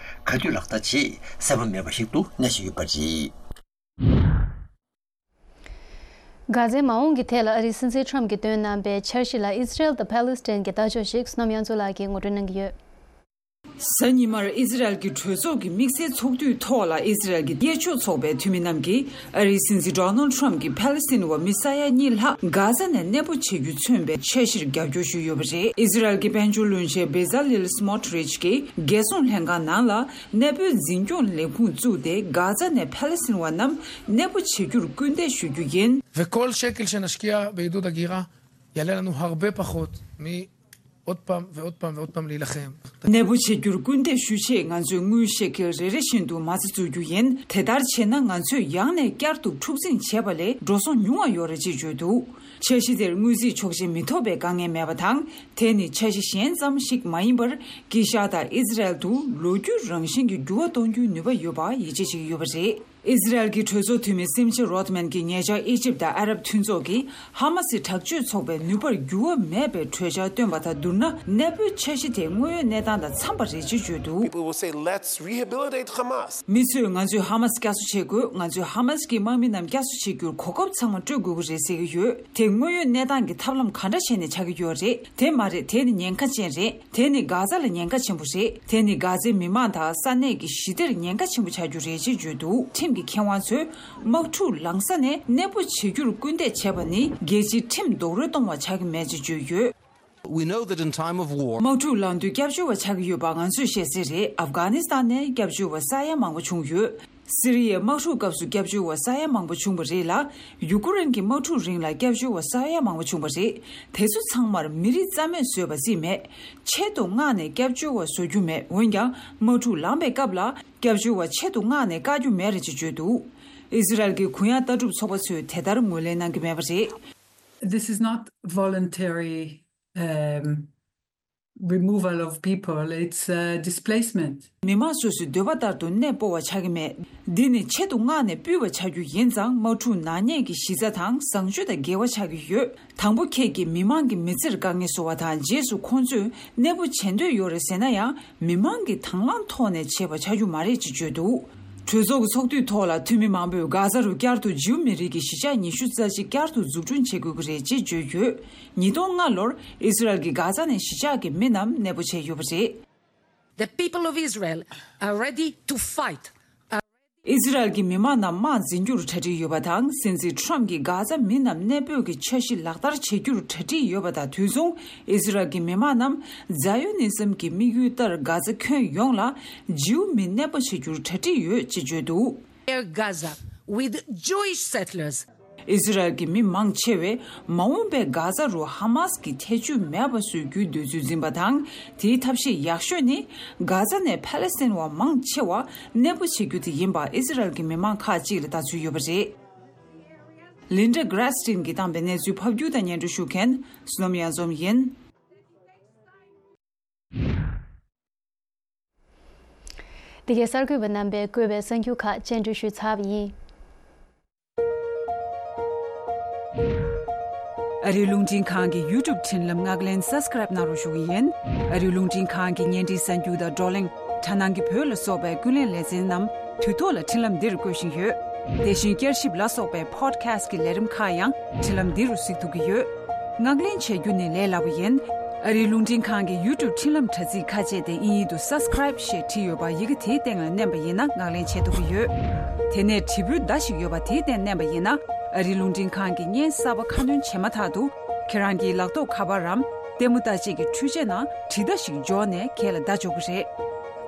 ག་དུས་ལག་བསྟར་བྱེད་གསལ་པོ་མེད་པ་ཞིག་ཏུ་གནས་བཞིན་ཡོད་པ་རེད། གྷ་ཛའི་མ་འོངས་ཀྱི་ཐད་ལ་ཨ་རིའི་སྲིད་འཛིན་ཁྲམ་གྱིས་བཏོན་གནང་པའི་འཆར་གཞི་ལ་ཨི་སི་རེལ་དང་ཕཱ་ལི་སི་ཐན་གྱི་ལྟ་ཕྱོགས་ཤིག་བསོད་ནམས་དབྱངས་མཚོ་ལགས་ཀྱིས་ངོ་སྤྲོད་གནང་གི་ཡོད། གཟའ་ཉི་མར་ཨི་ཛི་རལ་གྱི་གྲོས་ཚོགས་ཀྱི་དམིགས་བསལ་ཚོགས་འདུའི་ཐོག་ལ་ཨི་ཛི་རལ་གྱི་གཡས་ཕྱོགས་ཚོགས་པའི་འཐུས་མི་རྣམས་ཀྱིས་ཨ་རིའི་སྲིད་འཛིན་ཌོ་ནལ་ཁྲམ་གྱིས་ཕཱ་ལི་སི་ཐན་བ་མི་ས་ཡ་གཉིས་ལྷག་གྷ་ཛ་ནས་གནས་སྤོ་བྱེད་རྒྱུ་མཚོན་པའི་འཆར་གཞིར་རྒྱབ་སྐྱོར་ཞུས་ཡོད་པ་རེད། ཨི་ཛི་རལ་གྱི་དཔལ་འབྱོར་བློན་ཆེན་བེ་ཛ་ལིལ་སི་མོ་ཊི་རིཆ་གྱིས་རྒྱལ་སྲུང་ལྷན་ཁང་ནང་ལ་གནས་སྤོའི་འཛིན་སྐྱོང་ལས་ཁུངས་བཙུགས་ཏེ། གྷ་ཛ་ནས་ཕཱ་ལི་སི་ཐན་བ་རྣམས་གནས་སྤོ་བྱེད་རྒྱུར་སྐུལ་འདེད་ཞུ་རྒྱུ་ཡིན། וכל שקל שנשקיע בעידוד הגירה יעלה לנו הרבה פחות מ עוד פעם ועוד פעם ועוד פעם להילחם. གནས་སྤོ་བྱེད་རྒྱུར་སྐུལ་འདེད་ཞུ་ཆེད་ང་ཚོས་དངུལ་ཤེ་ཁེལ་རེ་རེ་བཞིན་དུ་མ་རྩ་འཛུགས་རྒྱུ་ཡིན། དེ་ལྟར་བྱས་ན་ང་ཚོས་ཡང་ནས་བསྐྱར་དུ་འཁྲུག་འཛིང་བྱས་པ་ལས་འགྲོ་སོང་ཉུང་བ་ཡོད་རེད་ཅེས་བརྗོད་འདུག་འཆར་གཞི་དེར་དངུལ་རྩིས་ཆོག་མཆན་མི་ཐོབ་པའི་དཀའ་ངལ་མེད་པ་དང་། དེ་ནི་འཆར་གཞི་གཞན་ཙམ་ཞིག་མ་ཡིན་པར། དཀྱིལ་ཤར་དང་ཨི་ཛི་རལ་དུ་ལོ་རྒྱུས་རང་བཞིན་གྱི་འགྱུར་བ་གཏོང་རྒྱུའི་ནུས་པ་ཡོད་པ་ཡིད་ཆེས་བྱེད་ཀྱི་ཡོད་པ་རེད། ཨི་ཛི་རལ་གྱི་གྲོས་ཚོགས་འཐུས་མི་སེམ་ཆེ་རོ་ཐི་མན་གྱིས་ཉེ་ཆར་ཨི་ཇིབ་དང་ཨ་རབ་མཐུན་ཚོགས་ཀྱིས་ཧ་མ་སི་དྲག་སྤྱོད་ཚོགས་པའི་ནུས་པར་འགྱུར་བ་མེད་པའི་གྲོས་འཆར་བཏོན་པ་དང་བསྡུར་ན། གནས་སྤོའི་འཆར་གཞི་དེ་དངོས་ཡོད་གནས་སྟངས་དང་འཚམ་པ་རེད་ཅེས་བརྗོད་འདུག People will say, "Let's rehabilitate Hamas." མི་ཚོས་ང་ཚོས་ཧ་མ་སི་བསྐྱར་གསོ་བྱེད་དགོས། ང་ཚོས་ཧ་མ་སི་གི་དམག་མི་རྣམས་བསྐྱར་གསོ་བྱེད་རྒྱུར་གོ་སྐབས་ཚང་མ་སྤྲོད་དགོས་ཀྱི་རེད་ཟེར་གྱི་ཡོད། དེ་དངོས་ཡོད་གནས་སྟངས་ཀྱི་ཐབས་ལམ་ག་འདྲ་བྱས་ནས་ཆགས་ཀྱི་ཡོད་རེད། དེ་མ་རེད། དེ་ནི་ཉེན་ཁ་ཅན་རེད། དེ་ནི་གྷ་ཛ་ལ་ཉེན་ཁ་ཆེན་པོ་རེད། དེ་ནི་གྷ་ཛའི་མི་མང་དང་ས་གནས་ཀྱི་ཞི་བདེར་ཉེན་ཁ་ཆེན་པོ་ཆགས་རྒྱུ་རེད་ཅེས་བརྗོད་འདུག་ཁྲིམས་ཀྱི་མཁས་དབང་ཚོས་དམག་འཁྲུག་ལངས་ས་ནས་གནས་སྤོ་བྱེད་རྒྱུར་སྐུལ་འདེད་བྱས་པ་ནི་རྒྱལ་སྤྱིའི་ཁྲིམས་རྡོག་རོལ་གཏོང་བ་ཆགས་ཀྱི་མེད་ཅེས་བརྗོད་ཡོད། We know that in time of war, དམག་འཁྲུག་ལངས་དུས་སྐྱབས་བཅོལ་བ་ཆགས་ཀྱི་ཡོད་པ་ང་ཚོས་ཤེས་གསལ་རེད། ཨབ་གྷ་ནི་སི་ཐན་ནས་སྐྱབས་བཅོལ་བ་ས་ཡ་མང་པོ་བྱུང་ཡོད། སི་རི་ཡའི་དམག་འཁྲུག་སྐབས་སུ་སྐྱབས་བཅོལ་བ་ས་ཡ་མང་པོ་བྱུང་བ་རེད་ལ། ཡུ་ཀུ་རེན་གྱི་དམག་འཁྲུག་རིང་ལ་སྐྱབས་བཅོལ་བ་ས་ཡ་མང་པོ་བྱུང་བ་རེད། དེ་ཚོ་ཚང་མར་མི་རིགས་རྩ་མེད་བཟོས་པ་རྩིས་མེད། ཆེད་དུ་མངགས་ནས་སྐྱབས་བཅོལ་བ་བཟོ་རྒྱུ་མེད། འོན་ཀྱང་དམག་འཁྲུག་ལངས་པའི་སྐབས་ལ་སྐྱབས་བཅོལ་བ་ཆེད་དུ་མངགས་ནས་བཀག་རྒྱུ་མེད་རེད་ཅེས་བརྗོད་འདུག་ཨི་ཟི་རལ་གྱི་གུ་ཡངས་ལྟ་གྲུབ་ཚོགས་པ་ཚོས་དེ་ལྟར་ངོས་ལེན་གནང་གི་མེད་པ་རེད། This is not voluntary, um, removal of people, it's, uh, displacement. མི་མང་སོ་སོའི་འདོད་པ་ལྟར་དུ་གནས་སྤོ་བ་ཆགས་ཀྱི་མེད། འདི་ནི་ཆེད་དུ་མངགས་ནས་སྤུད་པ་ཆགས་རྒྱུ་ཡིན་ཙང་། དམག་འཁྲུག་ནག་ཉེས་ཀྱི་གཞི་རྩ་དང་བཟང་སྤྱོད་དང་འགལ་བ་ཆགས་ཀྱི་ཡོད། དང་པོ་ཁྱེད་ཀྱིས་མི་མང་གི་མི་ཚེར་དཀའ་ངལ་བཟོ་བ་དང་། རྗེས་སུ་ཁོང་ཚོས་གནས་སྤོ་བྱེད་འདོད་ཡོད་རེད་ཟེར་ན་ཡང་། མི་མང་གི་དང་བླངས་ཐོག་ནས་བྱས་པ་ཆགས་རྒྱུ་མ་རེད་ཅེས་བརྗོད་འདུག་གྲོས་ཚོགས་ཀྱི་ཚོགས་དུས་ཐོག་ལ་འཐུས་མི་མང་པོས་གྷ་ཛ་རུ་བསྐྱར་དུ་ཇིའུ་མི་རིགས་ཀྱི་གཞིས་ཆགས་ཉི་ཤུ་རྩ་གཅིག་བསྐྱར་དུ་འཛུགས་སྐྲུན་བྱེད་དགོས་ཀྱི་རེད་ཅེས་བརྗོད་ཡོད། ཉིས་སྟོང་ལྔ་ལོར་ཨི་ཟི་རལ་གྱིས་གྷ་ཛ་ནས་གཞིས་ཆགས་ཀྱི་མི་རྣམས་གནས་སྤོ་བྱས་ཡོད་པ་རེད། The people of Israel are ready to fight. ཨི་ཟི་རལ་གྱི་མི་མང་རྣམས་དམག་འཛིན་རྒྱུར་གྲ་སྒྲིག་ཡོད་པ་དང་། སྲིད་འཛིན་ཁྲོམ་གྱིས་གྷ་ཛ་མི་རྣམས་གནས་སྤོས་ཀྱི་འཆར་གཞི་ལག་བསྟར་བྱེད་རྒྱུར་གྲ་སྒྲིག་ཡོད་པ་དང་དུས་མཚུངས། ཨི་ཟི་རལ་གྱི་མི་མང་རྣམས་ཛཱ་ཡོ་ནི་ཛམ་གྱི་དམིགས་ཡུལ་ལྟར་གྷ་ཛ་ཁྱོན་ཡོངས་ལ་ཇིའུ་མི་གནས་སྤོ་བྱེད་རྒྱུར་གྲ་སྒྲིག་ཡོད་ཅེས་བརྗོད་འདུག། Air Gaza with Jewish settlers. ཨི་ཟི་རལ་གྱི་མི་མང་ཆེ་བས་མ་འོངས་པའི་གྷ་ཛ་རུ་ཧ་མཱས་ཀྱི་ཐེ་ཇུས་མེད་པ་བཟོ་རྒྱུའི་འདོད་ཚུལ་འཛིན་པ་དང་། དེའི་ཐབས་ཤེས་ཡག་ཤོས་ནི་གྷ་ཛ་ནས་ཕ་ལེ་སི་ཐན་བ་མང་ཆེ་བ་གནས་སྤོ་བྱེད་རྒྱུ་དེ་ཡིན་པ་ཨི་ཟི་རལ་གྱི་མི་མང་ཁག་ཅིག་ལ་ལྟ་ཚུལ་ཡོད་པ་རེད། ལིན་ཌ་གྷ་ར་སི་ཊིན་གྱིས་བཏང་པའི་གནས་ཚུལ་ཕབ་སྒྱུར་དང་སྙན་སྒྲོན་ཞུ་མཁན་བསོད་ནམས་གཡང་འཛོམས་ཡིན། འདི་གའི་གསར་འགོད་པ་རྣམ་པས་བཀོད་པའི་གསར་འགྱུར་ཁག་སྤྱན་འབུལ་ཞུས་ཚར་བ་ཡིན། ཨ་རིའི་རླུང་འཕྲིན་ཁང་གི་ཡུ་ཊུབ་འཕྲིན་ལམ་ངག་ལེན་སབ་སི་ཀ་རེབ་གནང་རོགས་ཞུ་གི་ཡིན། ཨ་རིའི་རླུང་འཕྲིན་ཁང་གི་བརྙན་འཕྲིན་གསར་འགྱུར་དང་བགྲོ་གླེང་། དྲ་སྣང་གི་བོད་ལ་སོགས་པའི་ཀུན་གླེང་ལེ་ཚན་རྣམས་དུས་ཐོག་ལ་འཕྲིན་ལམ་འདིར་བཀོད་བཞིན་ཡོད། དེ་བཞིན་བསྐྱར་ཞིབ་ལ་སོགས་པའི་པོ་ཌི་ཁ་སི་ཊི་གི་ལས་རིམ་ཁག་ཡང་འཕྲིན་ལམ་འདི་རུ་གཟིགས་ཐུབ་ཀྱི་ཡོད། ངག་ལེན་བྱེད་རྒྱུ་ནི་ལས་སླ་པོ་ཡིན། ཨ་རིའི་རླུང་འཕྲིན་ཁང་གི་ཡུ་ཊུབ་འཕྲིན་ལམ་དྲ་ཚིགས་ཁ་ཕྱེ་སྟེ་དབྱིན་ཡིག་ཏུ་སབ་སི་ཀ་རེབ་ཞེས་བྲིས་ཡོད་པ་ཡི་གེ་དེའི་སྟེང་ལ་མནན་པ་ཡིན་ན་ངག་ལེན་བྱེད་ཐུབ་ཀྱི་ཡོད། དེ་ནས་དྲིལ་བུའི་མདའ་ཞིག་ཡོད་པ་དེའི་སྟེང་མནན་པ་ཡིན་ན་ཨ་རིའི་རླུང་འཕྲིན་ཁང་གི་བརྙན་གསར་པ་ཁ་སྣོན་བྱེད་མ་ཐག་ཏུ་ཁྱེད་རང་གི་ལག་ཐོགས་ཁ་པར་རམ་ལྟད་མོ་ལྟ་བྱེད་ཀྱི་འཕྲུལ་ཆས་ནང་དྲིལ་བརྡ་ཞིག་འབྱོར་ནས་ཁྱེད་ལ་བརྡ་འབྱོར་གྱི་རེད།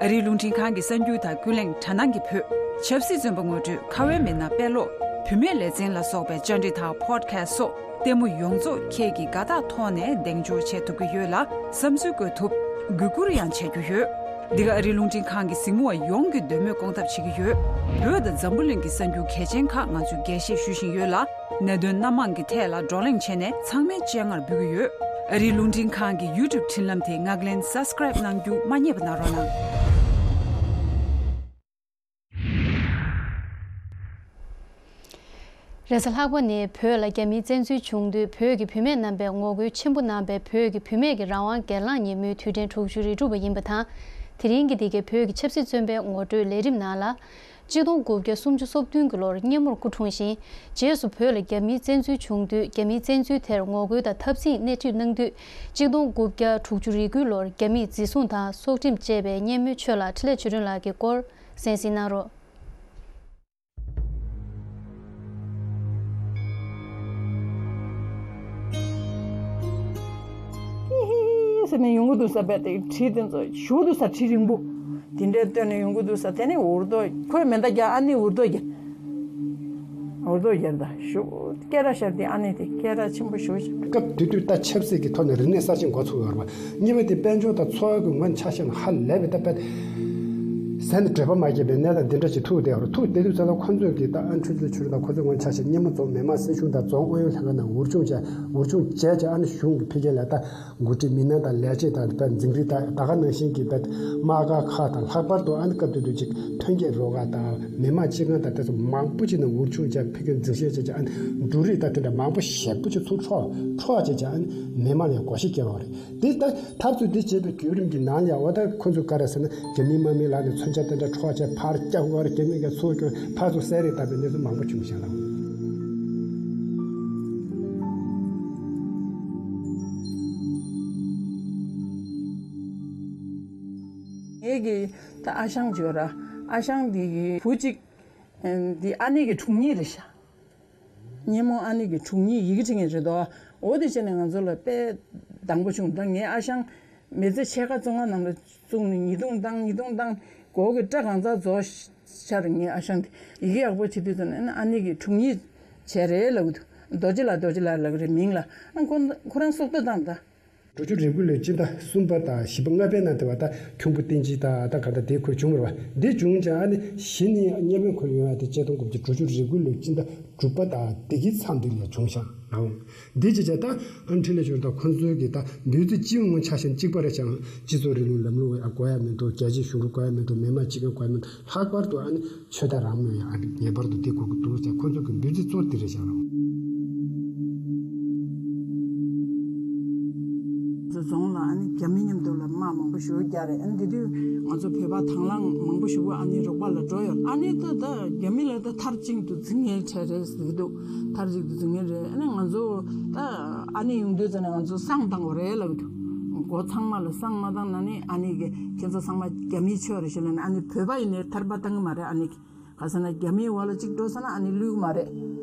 ཨ་རིའི་རླུང་འཕྲིན་ཁང་གི་གསར་འགྱུར་དང་ཀུན་གླེང་དྲ་སྣང་གི་བོད། ཆབ་སྲིད་བཙོན་པ་ངོ་སྤྲོད། ཁ་བའི་མི་སྣ་དཔེ་ཀློག་བུད་མེད་ལེ་ཚན་ལ་སོགས་པའི་བཅར་འདྲི་དང་པོ་ཌི་ཁ་སི་ཊི་སོགས་ལྟད་མོ་ཡོངས་རྫོགས་ཁྱེད་ཀྱིས་དགའ་རྟགས་ཐོག་ནས་གདེང་འཇོག་བྱེད་ཐུབ་ཀྱི་ཡོད་ལ། བསམ་ཚུལ་བཀོད་ཐུབ། གུས་བཀུར་ཡང་བྱེད་རྒྱུ་ཡོད། འདི་ག་ཨ་རིའི་རླུང་འཕྲིན་ཁང་གི་གཟིགས་མོ་བ་ཡོངས་ཀྱི་འདོད་མོས་སྐོང་ཐབས་བྱེད་ཀྱི་ཡོད། བོད་དང་འཛམ་བུ་གླིང་གི་གསར་འགྱུར་གལ་ཆེན་ཁག་ང་ཚོས་རྒྱས་བཤད་ཞུ་བཞིན་ཡོད་ལ། གནད་དོན་སྣ་མང་གི་ཐད་ལ་བགྲོ་གླེང་བྱས་ནས་ཚང་མའི་སྤྱན་སྔར་འབུལ་གྱི་ཡོད། ཨ་རིའི་རླུང་འཕྲིན་ཁང་གི་ཡུ་ཊུབ་འཕྲིན་ལམ་དེ་ངག་ལེན་སབ་སི་ཀ་རེབ་གནང་རྒྱུ་མ་བསྙེལ་བ་གནང་རོགས་གནང་། རེས་གཟའ་ལྷག་པ་ནས་བོད་ལ་རྒྱ་མིའི་བཙན་འཛུལ་བྱུང་དུས་བོད་ཀྱི་བུད་མེད་རྣམ་པས་ངོ་རྒོལ་ཆེན་པོ་གནང་བའི་བོད་ཀྱི་བུད་མེད་ཀྱི་རང་དབང་སྒེར་ལངས་ཉིན་མོའི་དུས་དྲན་དྲུག་ཅུ་རེ་དྲུག་པ་ཡིན་པ་དང་། དེ་རིང་གི་འདི་གའི་བོད་ཀྱི་ཆབ་སྲིད་བཙོན་པའི་ངོ་སྤྲོད་ལས་རིམ་ནང་ལ། གཅིག་སྟོང་དགུ་བརྒྱ་སུམ་ཅུ་སོ་བདུན་གྱི་ལོར་སྙེ་མོར་སྐུ་འཁྲུངས་ཤིང་། རྗེས་སུ་བོད་ལ་རྒྱ་མིའི་བཙན་འཛུལ་བྱུང་དུས་རྒྱ་མིའི་བཙན་འཛུལ་དེར་ངོ་རྒོལ་དང་འཐབ་འཛིང་སྣེ་ཁྲིད་གནང་དུས། གཅིག་སྟོང་དགུ་བརྒྱ་དྲུག་ཅུ་རེ་དགུའི་ལོར་རྒྱ་མིས་འཛིན་བཟུང་དང་སྲོག་ཁྲིམས་བཅད་པའི་སྙེ་མོའི་ཆོས་ལགས་འཕྲིན་ལས་ཆོས་སྒྲོན་ལགས་ཀྱི་སྐོར་གསན་གཟིགས་གནང་རོགས། ཧི་ཧི་ཧི་ཟེར་ནས་ཡོང་གི་འདུག་ས། རྦད་དེ་གྲི་དེ་ཚོ་ཞུ་འདུག་ས། གྲི་རིང་པོ་དེ་འདྲའི་བཏོན་ནས་ཡོང་གི་འདུག་ས། དེ་ནས་འུར་རྡོ་ཁོས་མེ་མདའ་རྒྱག་ཨ་ནེ་འུར་རྡོ་རྒྱག་འུར་རྡོ་རྒྱག་ད་ཞུ་སྐད་ར་ཤར་དེ་ཨ་ནེ་དེ་སྐད་ར་ཆེན་པོ་ཞུ་ཞིག་སྐབས་དེ་དུས་ད་ཆབ་སྲིད་ཀྱི་ཐོག་ནས་རིག་གནས་གསར་བཞེངས་འགོ་ཚུགས་ཡོད་རེད་པ། གཉིས་པ་དེ་དཔལ་འབྱོར་དང་འཚོ་བ་གི་ངོས་ཆ་བཞག་ན་ཧ་ལས་པའི་ད་དཔེ་ཟས་ནས་འགྲོས་པ་མ་སྐྱེས་པའི་གནས་སྟངས་འདི་འདྲ་ཞིག་ཐུག་བསྡད་ཡོད་རེད། ཐུག་བསྡད་དུས་ཙམ་ལ་ཁོ་ཚོས་ཀྱི་ད་ཨ་འཕྲིན་ལས་ཆོས་སྒྲོན་དང་ཁོ་ཚོའི་ངོས་ཆ་བཞག་སྙེ་མོ་རྫོང་མི་དམངས་སྲིད་གཞུང་དང་རྫོང་ཨུ་ཡོན་ལྷན་ཁང་ནང་འུར་ཆུང་བྱས་འུར་ཆུང་བྱས་བྱས་ཨ་ནི་གཞུང་གི་འཕེལ་རྒྱས་ལ་ད་འགོ་ཁྲིད་མི་སྣ་དང་ལས་བྱེད་དང་དཔེ་འཛིན་རིགས་དང་ད་ག་ནང་བཞིན་གྱི་དཔེ་དམག་སྒར་ཁག་དང་ལྷག་པར་དུ་ཨ་ནི་སྐབས་དེ་དུས་ཅིག་ཐོན་སྐྱེད་རོགས་ཁག་དང་མི་དམངས་སྤྱི་ཁང་དང་དེ་ཚོ་མང་པོ་ཅིག་ནང་འུར་ཆུང་བྱས་འཕེལ་རྒྱས་འཛིན་ཤེས་བྱས་བྱས་ཨ་ནི་འབྲུ་རིགས་དང་དེ་འདྲ་མང་པོ་ཞེ་པོ་ཅིག་ཚུར་འཕྲོག་འཕྲོག་བྱས་བྱས་ཨ་ནི་མི་དམངས་ལ་དགོངས་བཞེས་བསྐྱལ་བ་རེད། དེ་ལྟ། འཐབ་རྩོད་འདི་བྱེད་པའི་བརྒྱུད་རིམ་གྱི་ནང་ལ་ཡང་འོ་ད་ཁོ་ཚོས་ག་རེ་ཟེར་ན་རྒྱ་མིའི་དམག་མིའི་ལག་ནས་མཚོན་ཆ་དེ་འདྲ་འཕྲོག་བྱས་ཕར་བཀྱག་དགོས་རེད། རྒྱ་མི་གིས་ཚུར་སྐྱོན་ཕར་ཚུར་བསད་རེས་བཏང་བའི་གནས་ཚུལ་མང་པོ་བྱུང་བཞག་ལ། ངེད་ཀྱི་ད་ཨ་ཞང་ཅིག་ཡོད་ར། ཨ་ཞང་འདི་གི་བུ་གཅིག་འདི་ཨ་ནེ་གི་དྲུང་ཉིད་རེད་ཤག་སྙེ་མོ་ཨ་ནེ་གི་དྲུང་ཉིད་ཡི་གེ་འབྲི་མཁན་རེད་དོ། འོ་དེ་བྱས་ནས་ང་ཚོ་ལ་དཔེ་སྡང་པོ་བྱུང་། ད་ངའི་ཨ་ཞང་མི་ཚེ་ཕྱེད་ཀ་བཙོན་ཁང་ནང་ལ་བཙུགས་ནས་ཉེས་རྡུང་བཏང་ཉེས་རྡུང་བཏང་། མགོ་གི་སྐྲ་གང་ཚང་རྫོགས་ཤར། ངའི་ཨ་ཞང་དེ་ཡི་གེ་ཡག་པོ་བྲིས་དུས་ཙམ་ནས་ཨ་ནེ་གི་དྲུང་ཉིད་བྱས་རེད་ལབ་གི་འདུག་རྡོ་རྗེ་ལགས་རྡོ་རྗེ་ལགས་ལབ་གི་རེད་མིང་ལ། ཨ་ཁོ་ཁོ་རང་སྲོག་ཐོག་བཏང་ད། འབྲུ་ཆུ་རེ་དགུ་ལོའི་སྤྱི་ཟླ་གསུམ་པ་དང་བཞི་པ་ལྔ་པའི་ནང་དེ་བ་ད་ཁྱུང་པོ་བསྟན་སྐྱིད་དང་ད་ག་ད་དེ་ཁོས་བྱུང་བ་རེད་བ། འདི་བྱུང་ཙང་ཨ་ནི་གཞི་ནས་སྙེ་མོའི་ཁོར་ཡོང་ཡ་དེ་ཆིག་སྟོང་དགུ་བརྒྱ་དྲུག་ཅུ་རེ་དགུ་ལོའི་སྤྱི་ཟླ་དྲུག་པ་དང་དེ་གི་མཚམས་དེ་ལ་བྱུང་ཤག་ལའོ། འདི་ཅི་བྱ་ད་ཨ་འཕྲིན་ལས་ཆོས་དང་ཁོ་ཚོའི་གི་ད་འདུས་རྩི་སྤྱི་ཡོངས་ཆ་བཞག་གཅིག་པ་རེད་ཀྱང་སྤྱི་ཚོགས་རིང་ལུགས་ལམ་ལུགས་ཨ་དགོས་ཡ་མི་འདུག་རྒྱལ་སྤྱིའི་གཞུང་ལུགས་དགོས་ཡ་མི་འདུག་མི་དམངས་སྤྱི་ཁང་དགོས་ཡ་མི་འདུག་ལྷག་པར་དུ་ཨ་ནི་ཆོས་དད་རང་མོས་ཡང་ཨ་ནི་ངེས་པར་དུ་འདི་དགོས་ཀྱི་འདུག་ཟེར་ཁོ་ཚོ་གི་འབོད་ཚིག་གཙོ་འདི་རེད་བཞག་རོགས། རྫོང་ལ་ཨ་ནི་རྒྱ་མི་མཉམ་དུ་ལ་དམག་མང་པོ་ཞེ་པོ་རྒྱག་རེད། ཨ་ནི་དེ་དུས་ང་ཚོ་བོད་པ་དང་བླངས་མང་པོ་ཞེ་པོ་ཨ་ནི་རོགས་པ་ལ་འགྲོ་ཡོད། ཨ་ནི་ད་ད་རྒྱ་མི་ལ་ད་མཐར་གཅིག་ཏུ་འཛིང་ངེས་བྱས་རེད་ཟེར་གི་འདུག་མཐར་གཅིག་ཏུ་འཛིང་ངེས་རེད། ཨ་ནི་ང་ཚོ་ད་ཨ་ནི་ཡོང་དུས་ཙམ་ནས་ང་ཚོ་བསང་བཏང་དགོས་རེད་ལབ་གི་འདུག་མགོ་ཚང་མ་ལ་བསང་མ་བཏང་ན་ནི་ཨ་ནི་གི་ཁྱེད་ཚོ་ཚང་མ་རྒྱ་མིའི་ཆོས་རེད་ཞེས་ལབ་ནས་ཨ་ནི་བོད་པ་ཡིན་ནའི་ཐར་པ་བཏང་གི་མ་རེད། ཨ་ནི་གི་ ག་ཟེར་ན་རྒྱ་མིའི་འོག་ལ་གཅིག་འགྲོ་ས་ན་ཨ་ནི་ལུས་ཀྱི་མ་རེད།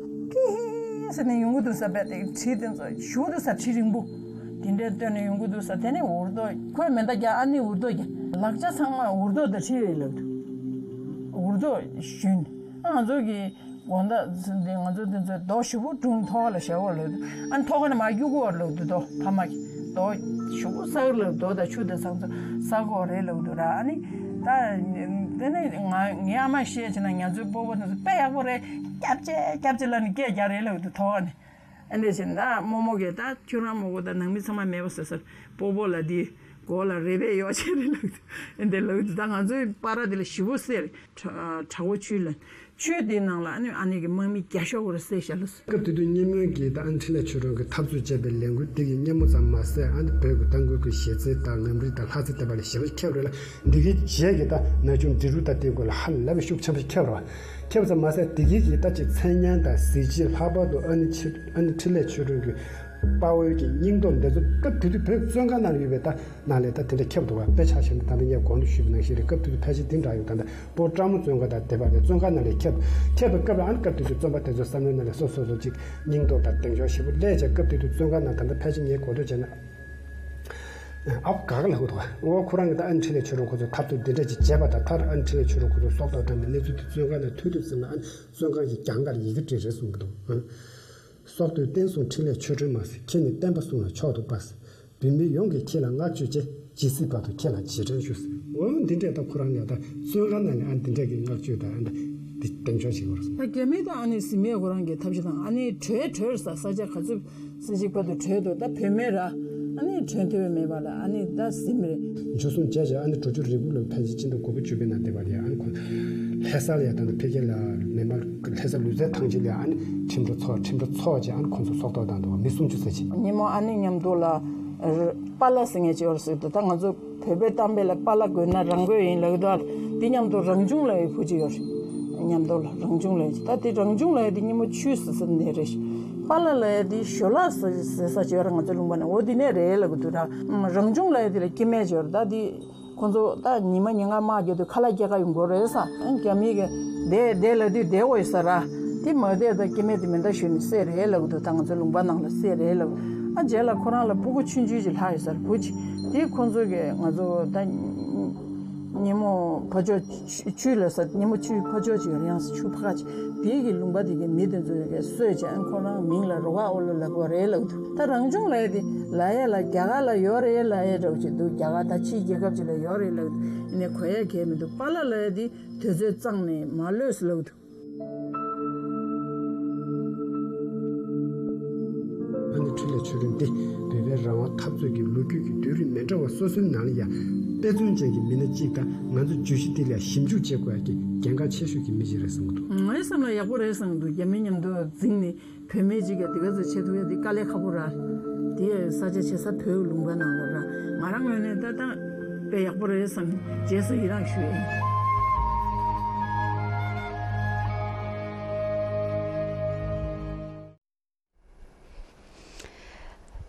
ཀི་ཧི་ཟེར་ནས་ཡོང་གི་འདུག་ས། བས་དེ་གྲི་དེ་ཚོ་ཞུ་འདུག་ས། གྲི་རིང་པོ་དེ་འདྲས་བཏོན་ནས་ཡོང་གི་འདུག་ས། དེ་ནས་འུར་རྡོ་ཁོས་མེ་མདའ་རྒྱག་ཨ་ནི་འུར་རྡོ་རྒྱག་ལག་ཆ་ཚང་མ་འུར་རྡོ་དང་གྲི་རེད་ལབ་འདུག་འུར་རྡོ་ཞུན། ཨ་ང་ཚོ་གི་དགོང་དག་འདི་ང་ཚོ་འདི་ཚོའི་རྡོ་ཞེ་པོ་སྒྲུང་ཐོག་ལ་བཞག་པ་ལབ་འདུག་ཨ་ནི་ཐོག་ཁ་ནས་མར་གཡུག་གོ་ལབ་འདུག་རྡོ་ཕ་མ་གི་རྡོ་ཞེ་པོ་ས་ལབ་རྡོ་དང་ཆུ་དང་ཚང་ཚོ་ས་གོ་རེད་ལབ་འདུག་ར། ཨ་ནི་ད་དེ་ནས་ང་ངའི་ཨ་མ་བཤད་བྱས་ན་ང་ཚོའི་སྤོ་བོ་དེ་ཚོ་དཔེ་ཡག་པོ་རེད། སྐྱབས་རྗེ་སྐྱབས་རྗེ་ལབ་ནས་སྐད་རྒྱག་རེད་ལབ་འདུག་ཐོག་ཁ་ནས། ཨ་འདྲས་བྱས་ན་ད་རྨོ་མོ་གིས་ད་ཁྱོད་རང་རྨོ་མོ་ད་ནང་མི་ཚང་མ་མེད་པ་བཟོས་ས། སྤོ་བོ་ལ་འདི་མགོ་ལ་རེ་བས་ཡོག་བྱས་རེད་ལབ་འདུག་ཨ་འདྲས་ལབ་འདུག་ད་ང་ཚོའི་པར་དེ་ལ་ཞེ་པོ་གསལ་རེད། བྲག་བྲག་འོག་ཆུ་ལ། ཆུ་དེའི་ནང་ལ་ཨ་ནི་ཨ་ནེ་གི་དམག་མི་བརྒྱ་ཤོག་གོ་རེ་བསད་བཞག་ལ། སྐབས་དེ་དུས་སྙེ་མོ་གིས་ད་ཨ་ནི་འཕྲིན་ལས་ཆོས་སྒྲོན་གྱིས་འཐབ་རྩོད་བྱས་པའི་ལས་འགུལ་དེ་གི་སྙེ་མོ་ཙམ་མ་ཟད་ཨ་ནི་བོད་ཀྱི་ད་གོས་ཀྱི་གཞས་ཚིག་དང་ངམ་རིགས་དང་ལྷ་རྩེ་བསྟན་པ་ལ་ཞེ་པོ་ཁྱབ་རེད་ལ། འདི་གའི་རྗེས་ཀྱི་ད་ན་ཆུང་འབྲི་རུ་ད་དེ་གོ་ལ་ཧ་ལས་པའི་ཤུགས་ཆེན་པོ་ཁྱབ་རེད་བ། ཁྱབ་ཙམ་མ་ཟད་དེ་གའི་གི་ད་ཅིག་མཚན་སྙན་དང་གཟི་བརྗིད། ལྷག་པར་དུ་ཨ་ནི་ཆི་ཨ་ནི་འཕྲིན་ལས་ཆོས་སྒྲོན་གྱི་དཔའ་བོའི་གི་སྙིང་སྟོབས་འདི་ཚོ་སྐབས་དེ་དུས་བོད་བཙོན་ཁང་ནང་ཡོད་པའི་ད་ནང་ལས་ད་དེ་འདྲ་ཁྱབ་འདུག་བ། དཔེ་ཆ་བཞག་ན་ད་ལྟ་ངས་གོང་དུ་ཞུས་པ་ནང་བཞིན་རེད། སྐབས་དེ་དུས་ཕལ་ཆེར་འདི་འདྲ་ཡོད། ད་ལྟ་སྤོ་བྲག་མོ་བཙོན་ཁང་དང་དེ་བར་ལས་བཙོན་ཁང་ནང་ལས་ཁྱབ་ཁྱབ་པའི་སྐབས་ལ་ཨ་ནི་སྐབས་དེ་དུས་བཙོན་པ་དེ་ཚོའི་བསམ་བློའི་ནང་ལས་སོ་སོ་སོ་ཅིག་སྙིང་སྟོབས་དང་གདེང་འཇོག་ཞེ་པོ་སླེབས་བྱས། སྐབས་དེ་དུས་བཙོན་ཁང་ནང་ད་ལྟ་ཕལ་ཆེར་ངས་གོ་ཐོས་བྱས་ན། ཨ་ག་ག་ལ་ཧུ་ཐོ། ཨོ་ཁོ་རང་གི་ད་ཨ་ནི་འཕྲིན་ལས་ཆོས་སྒྲོན་ཁོ་ཚོས་འཐབ་རྩོད་འདི་འདྲ་ཅིག་བྱས་པ་དང་མཐར་ཨ་ནི་འཕྲིན་ལས་ཆོས་སྒྲོན་ཁོ་ཚོས་སྲོག་ཐོག་བཏང་བའི་གནས་ཚུལ་དེ་བཙོན་ཁང་ནང་ཐོས་དུས་ཙམ་ལ་ཨ་ནི་བཙོན་ཁང་གི་གྱང་ཁར་ཡི་གེ་བྲིས་རེད་གསུང་གི་འདུག་ཨ། སྲོག་བདུད་བསྟན་སྲུང་འཕྲིན་ལས་ཆོས་སྒྲོན་མ་ཟེར། ཁྱེད་ནི་བསྟན་པ་སྲུང་ལ་མཆོག་ཏུ་དཔའ་ཟེར། བོད་མི་ཡོངས་ཀྱིས་ཁྱེད་ལ་བསྔགས་བརྗོད་བྱེད། ཇི་སྲིད་བར་དུ་ཁྱེད་ལ་རྗེས་དྲན་ཞུ་ཟེར། འོ་འདི་འདྲས་ད་ཁོ་རང་ལ་ད་བཙོན་ཁང་ནང་ནས་ཨ་འདི་འདྲས་ཀྱི་བསྔགས་བརྗོད་དང་ཨ་འདི་གདེང་འཇོག་བྱེད་དགོས་རེད། ད་རྒྱ་མི་ད་ཨ་ནི་ཟིན་མེད་ཁོ་རང་གི་ཐབས་ཤེས་དང་ཨ་ནི་བྲོས་བྲོས་ས་ས་ཆ་ག་ཚོད་སེ་ཅིག་བར་དུ་བྲོས་འདུག་ད་བོད་མི་ར་ཨ་ནི་བྲོས་ཐུབ་པ་མེད་པ་ལ་ཨ་ནི་ད་ཟིན་མེད་རེད། འཇུ་བཟུང་བྱས་བྱས་ཨ་ནི་འགྲོ་རྒྱུ་རེ་སྒུག་ལ་ཕལ་ཆེར་ཕྱི་ཟླ་དགུ་པ་བཅུ་པའི་ནང་བསྡད་པ་རེད། ཨ་ནི་ཁོ་ལྷ་ས་ལ་ཡ་ད་ནི་ཕ་གི་ལ་མི་མང་ལྷ་ས་ལུས་རྩལ་ཐང་ཆེན་ལ་ཡ་ཨ་ནི་ཁྲིམས་ར་ཚོགས་ཁྲིམས་ར་ཚོགས་བྱས་ཨ་ནི་ཁོ་ཚོ་སྲོག་ཐོག་བཏང་འདུག་མི་སུམ་ཅུ་ཙམ་ཅིག་ཉིན་མོ་ཨ་ནི་མཉམ་དུ་ལ་པཱ་ལགས་ཟེར་མཁན་ཅིག་ཡོད་རེད་ཟེར་འདུག་ད་ང་ཚོ་བོད་པའི་གཏམ་དཔེ་ལ་པཱ་ལགས་དགོས་ན་རང་དགོས་ཡིན་ལབ་ཀྱི་འདུག་འདི་མཉམ་དུ་རང་བྱུང་ལབ་ཡའི་བུ་ཅིག་ཡོད་རེད། མཉམ་དུ་ལ་རང་བྱུང་ལབ་ཡ་ཅིག་ད་འདི་རང་བྱུང་ལབ་ཡ་འདི་སྙེ་མོ་ཆུ་ཟེར་ས་ནས་རེད། པཱ་ལགས་ལབ་ཡ་འདི་ཞོ་ལགས་ཟེར་ཟེར་ས་ཅིག་ཡོད་རེད། ང་ཚོ་ལུང་པ་ནས་འོ་འདི་ནས་རེད་ལབ་ཀྱི་འདུག་ད་རང་བྱུང་ལབ་ཡ་འདི་ལ་སྐྱེ་དམན་ཅིག་ཡོད་རེད། ད་འདི་ཁོང་ཚོ་ད་ཉི་མ་ཉིན་ལྔ་དམག་རྒྱག་དུས་ཁ་ལག་སྐྱེལ་ག་ཡོང་དགོས་རེད་ས། རྒྱ་མི་གི་བསྡད་བསྡད་ལབ་དུས་བསྡད་དགོས་ཡོད་ས་ར། དེ་མ་བསྡད་ད་སྐྱེ་དམན་དེ་མེ་མདའ་གཞུས་ནས་བསད་རེད་ལབ་ཀྱི་འདུག་ད་ང་ཚོ་ལུང་པ་ནང་ལ་བསད་རེད་ལབ། ཨ་རྗེས་ལ་ཁོ་རང་ལ་སྤུ་གུ་ཆུང་ཆུང་ཅིག་ལྷག་ཡོད་ས་རེད། བུ་ཅིག་དེ་ཁོང་ཚོ་གི་ང་ཚོ་ད་སྙེ་མོ་ཕ་ཇོ་ཆུ་ལ་ས་སྙེ་མོ་ཆུའི་ཕ་ཇོ་ཅིག་ཡོད་རེད། ཡང་ས་ཆུ་ཕ་ཁ་ཅིག་དེ་གི་ལུང་པ་དེ་གི་མི་དེ་ཚོ་གི་གསོད་བྱས་ཨ་ཁོ་རང་མིང་ལ་རོ་ག་ཨོ་ལོ་ལབ་དགོས་རེད་ལབ་ཀྱི་འདུག་ད་རང་བྱུང་ལབ་ཡ་དེ་ལབ་ཡ་ལ་རྒྱ་གར་ལ་ཡོད་རེད་ལབ་ཡ་འདྲ་བོ་ཅིག་འདུག་རྒྱ་གར་ད་ཕྱིའི་རྒྱལ་ཁབ་ཅིག་ལ་ཡོད་རེད་ལབ་ཀྱི་འདུག་ཡིན་ནའི་གོ་ཡ་གལ་མི་འདུག་པཱ་ལགས་ལབ་ཡ་དེ་དུས་ཚོད་གཙང་ནས་མ་ལོས་ལབ་ཀྱི་འདུག་ཨ་ནི་འཕྲིན་ལས་ཆོས་སྒྲོན་འདི་བོད་པའི་རང་དབང་འཐབ་རྩོད་ཀྱི་ལོ་རྒྱུས་ཀྱི་བརྒྱུད་རིམ་མི་འདྲ་བ་སོ་སོའི་ནང་ལ་ཡང་དཔེ་མཚོན་ཅན་གྱི་མི་སྣ་གཅིག་དང་ང་ཚོ་བརྗོད་གཞི་འདི་ལ་ཞིབ་འཇུག་བྱེད་དགོས་ཡ་གི་གལ་འགངས་ཆེ་ཤོས་ཀྱི་མི་གཅིག་རེད་བསམ་གྱི་འདུག་ངའི་བསམ་ལ་ཡག་པོ་རེད་བསམ་གྱི་འདུག་རྒྱ་མི་མཉམ་དུ་འཛིང་ནས་བོད་མི་གཅིག་ག་དེ་ག་ཚོད་བྱེད་ཐུབ་ཡ་འདི་དཀའ་ལས་ཁག་པོ་ར། དེ་ཡ་ས་ཆ་བྱེད་ས་བོད་ལུང་པ་ནང་ལ་ར། ང་རང་ངོས་ནས་ད་ད་དཔེ་ཡག་པོ་རེད་བསམ། རྗེས་སུ་ཡི་རངས་ཞུ་ཡ་ཡིན།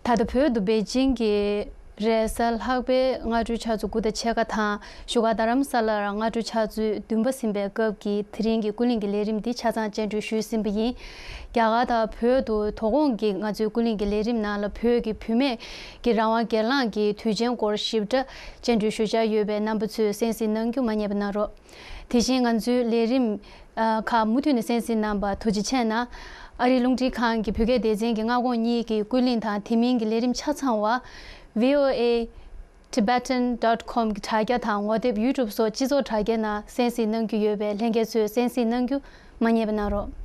ད་ལྟ་བོད་དུ་པེ་ཅིང་གི་རེས་གཟའ་ལྷག་པའི་སྔ་དྲོའི་ཆུ་ཚོད་དགུ་དང་ཕྱེད་ཀ་དང་བཞུགས་སྒར་རྡ་རམ་ས་ལར་སྔ་དྲོའི་ཆུ་ཚོད་བདུན་པ་ཟིན་པའི་སྐབས་ཀྱི་དེ་རིང་གི་ཀུན་གླེང་གི་ལས་རིམ་འདི་ཆ་ཚང་སྤྱན་འགྲོལ་ཞུས་ཟིན་པ་ཡིན། རྒྱ་གར་དང་བོད་དུ་དོ་དགོང་གི་ང་ཚོའི་ཀུན་གླེང་གི་ལས་རིམ་ནང་ལ་བོད་ཀྱི་བུད་མེད་ཀྱི་རང་དབང་སྒེར་ལངས་ཀྱི་དུས་ཆེན་སྐོར་ཞིབ་ཕྲ་སྤྱན་འགྲོལ་ཞུ་འཆར་ཡོད་པས་རྣམ་པ་ཚོས་གསན་གཟིགས་གནང་རྒྱུ་མ་བསྙེལ་བ་གནང་རོགས། དེ་བཞིན་ང་ཚོའི་ལས་རིམ་ཨ་ཁག་མུ་མཐུད་ནས་གསན་གཟིགས་གནང་བར་ཐུགས་རྗེ་ཆེ་གནང་། ཨ་རིའི་རླུང་འཕྲིན་ཁང་གི་བོད་སྐད་སྡེ་ཚན་གྱི་སྔ་དགོང་གཉིས་ཀྱི་ཀུན་གླེང་དང་དེ་མིན་གྱི་ལས་རིམ་ཆ་ཚང་བ། V O A Tibetan dot com གི་དྲ་རྒྱ་དང་ངོ་དེབ་YouTube སོགས་སྤྱི་ཚོགས་དྲ་རྒྱའི་ནང་གསན་གཟིགས་གནང་རྒྱུ་ཡོད་པས་ལྷན་རྒྱས་ཚོས་གསན་གཟིགས་གནང་རྒྱུ་མ་བསྙེལ་བ་གནང་རོགས།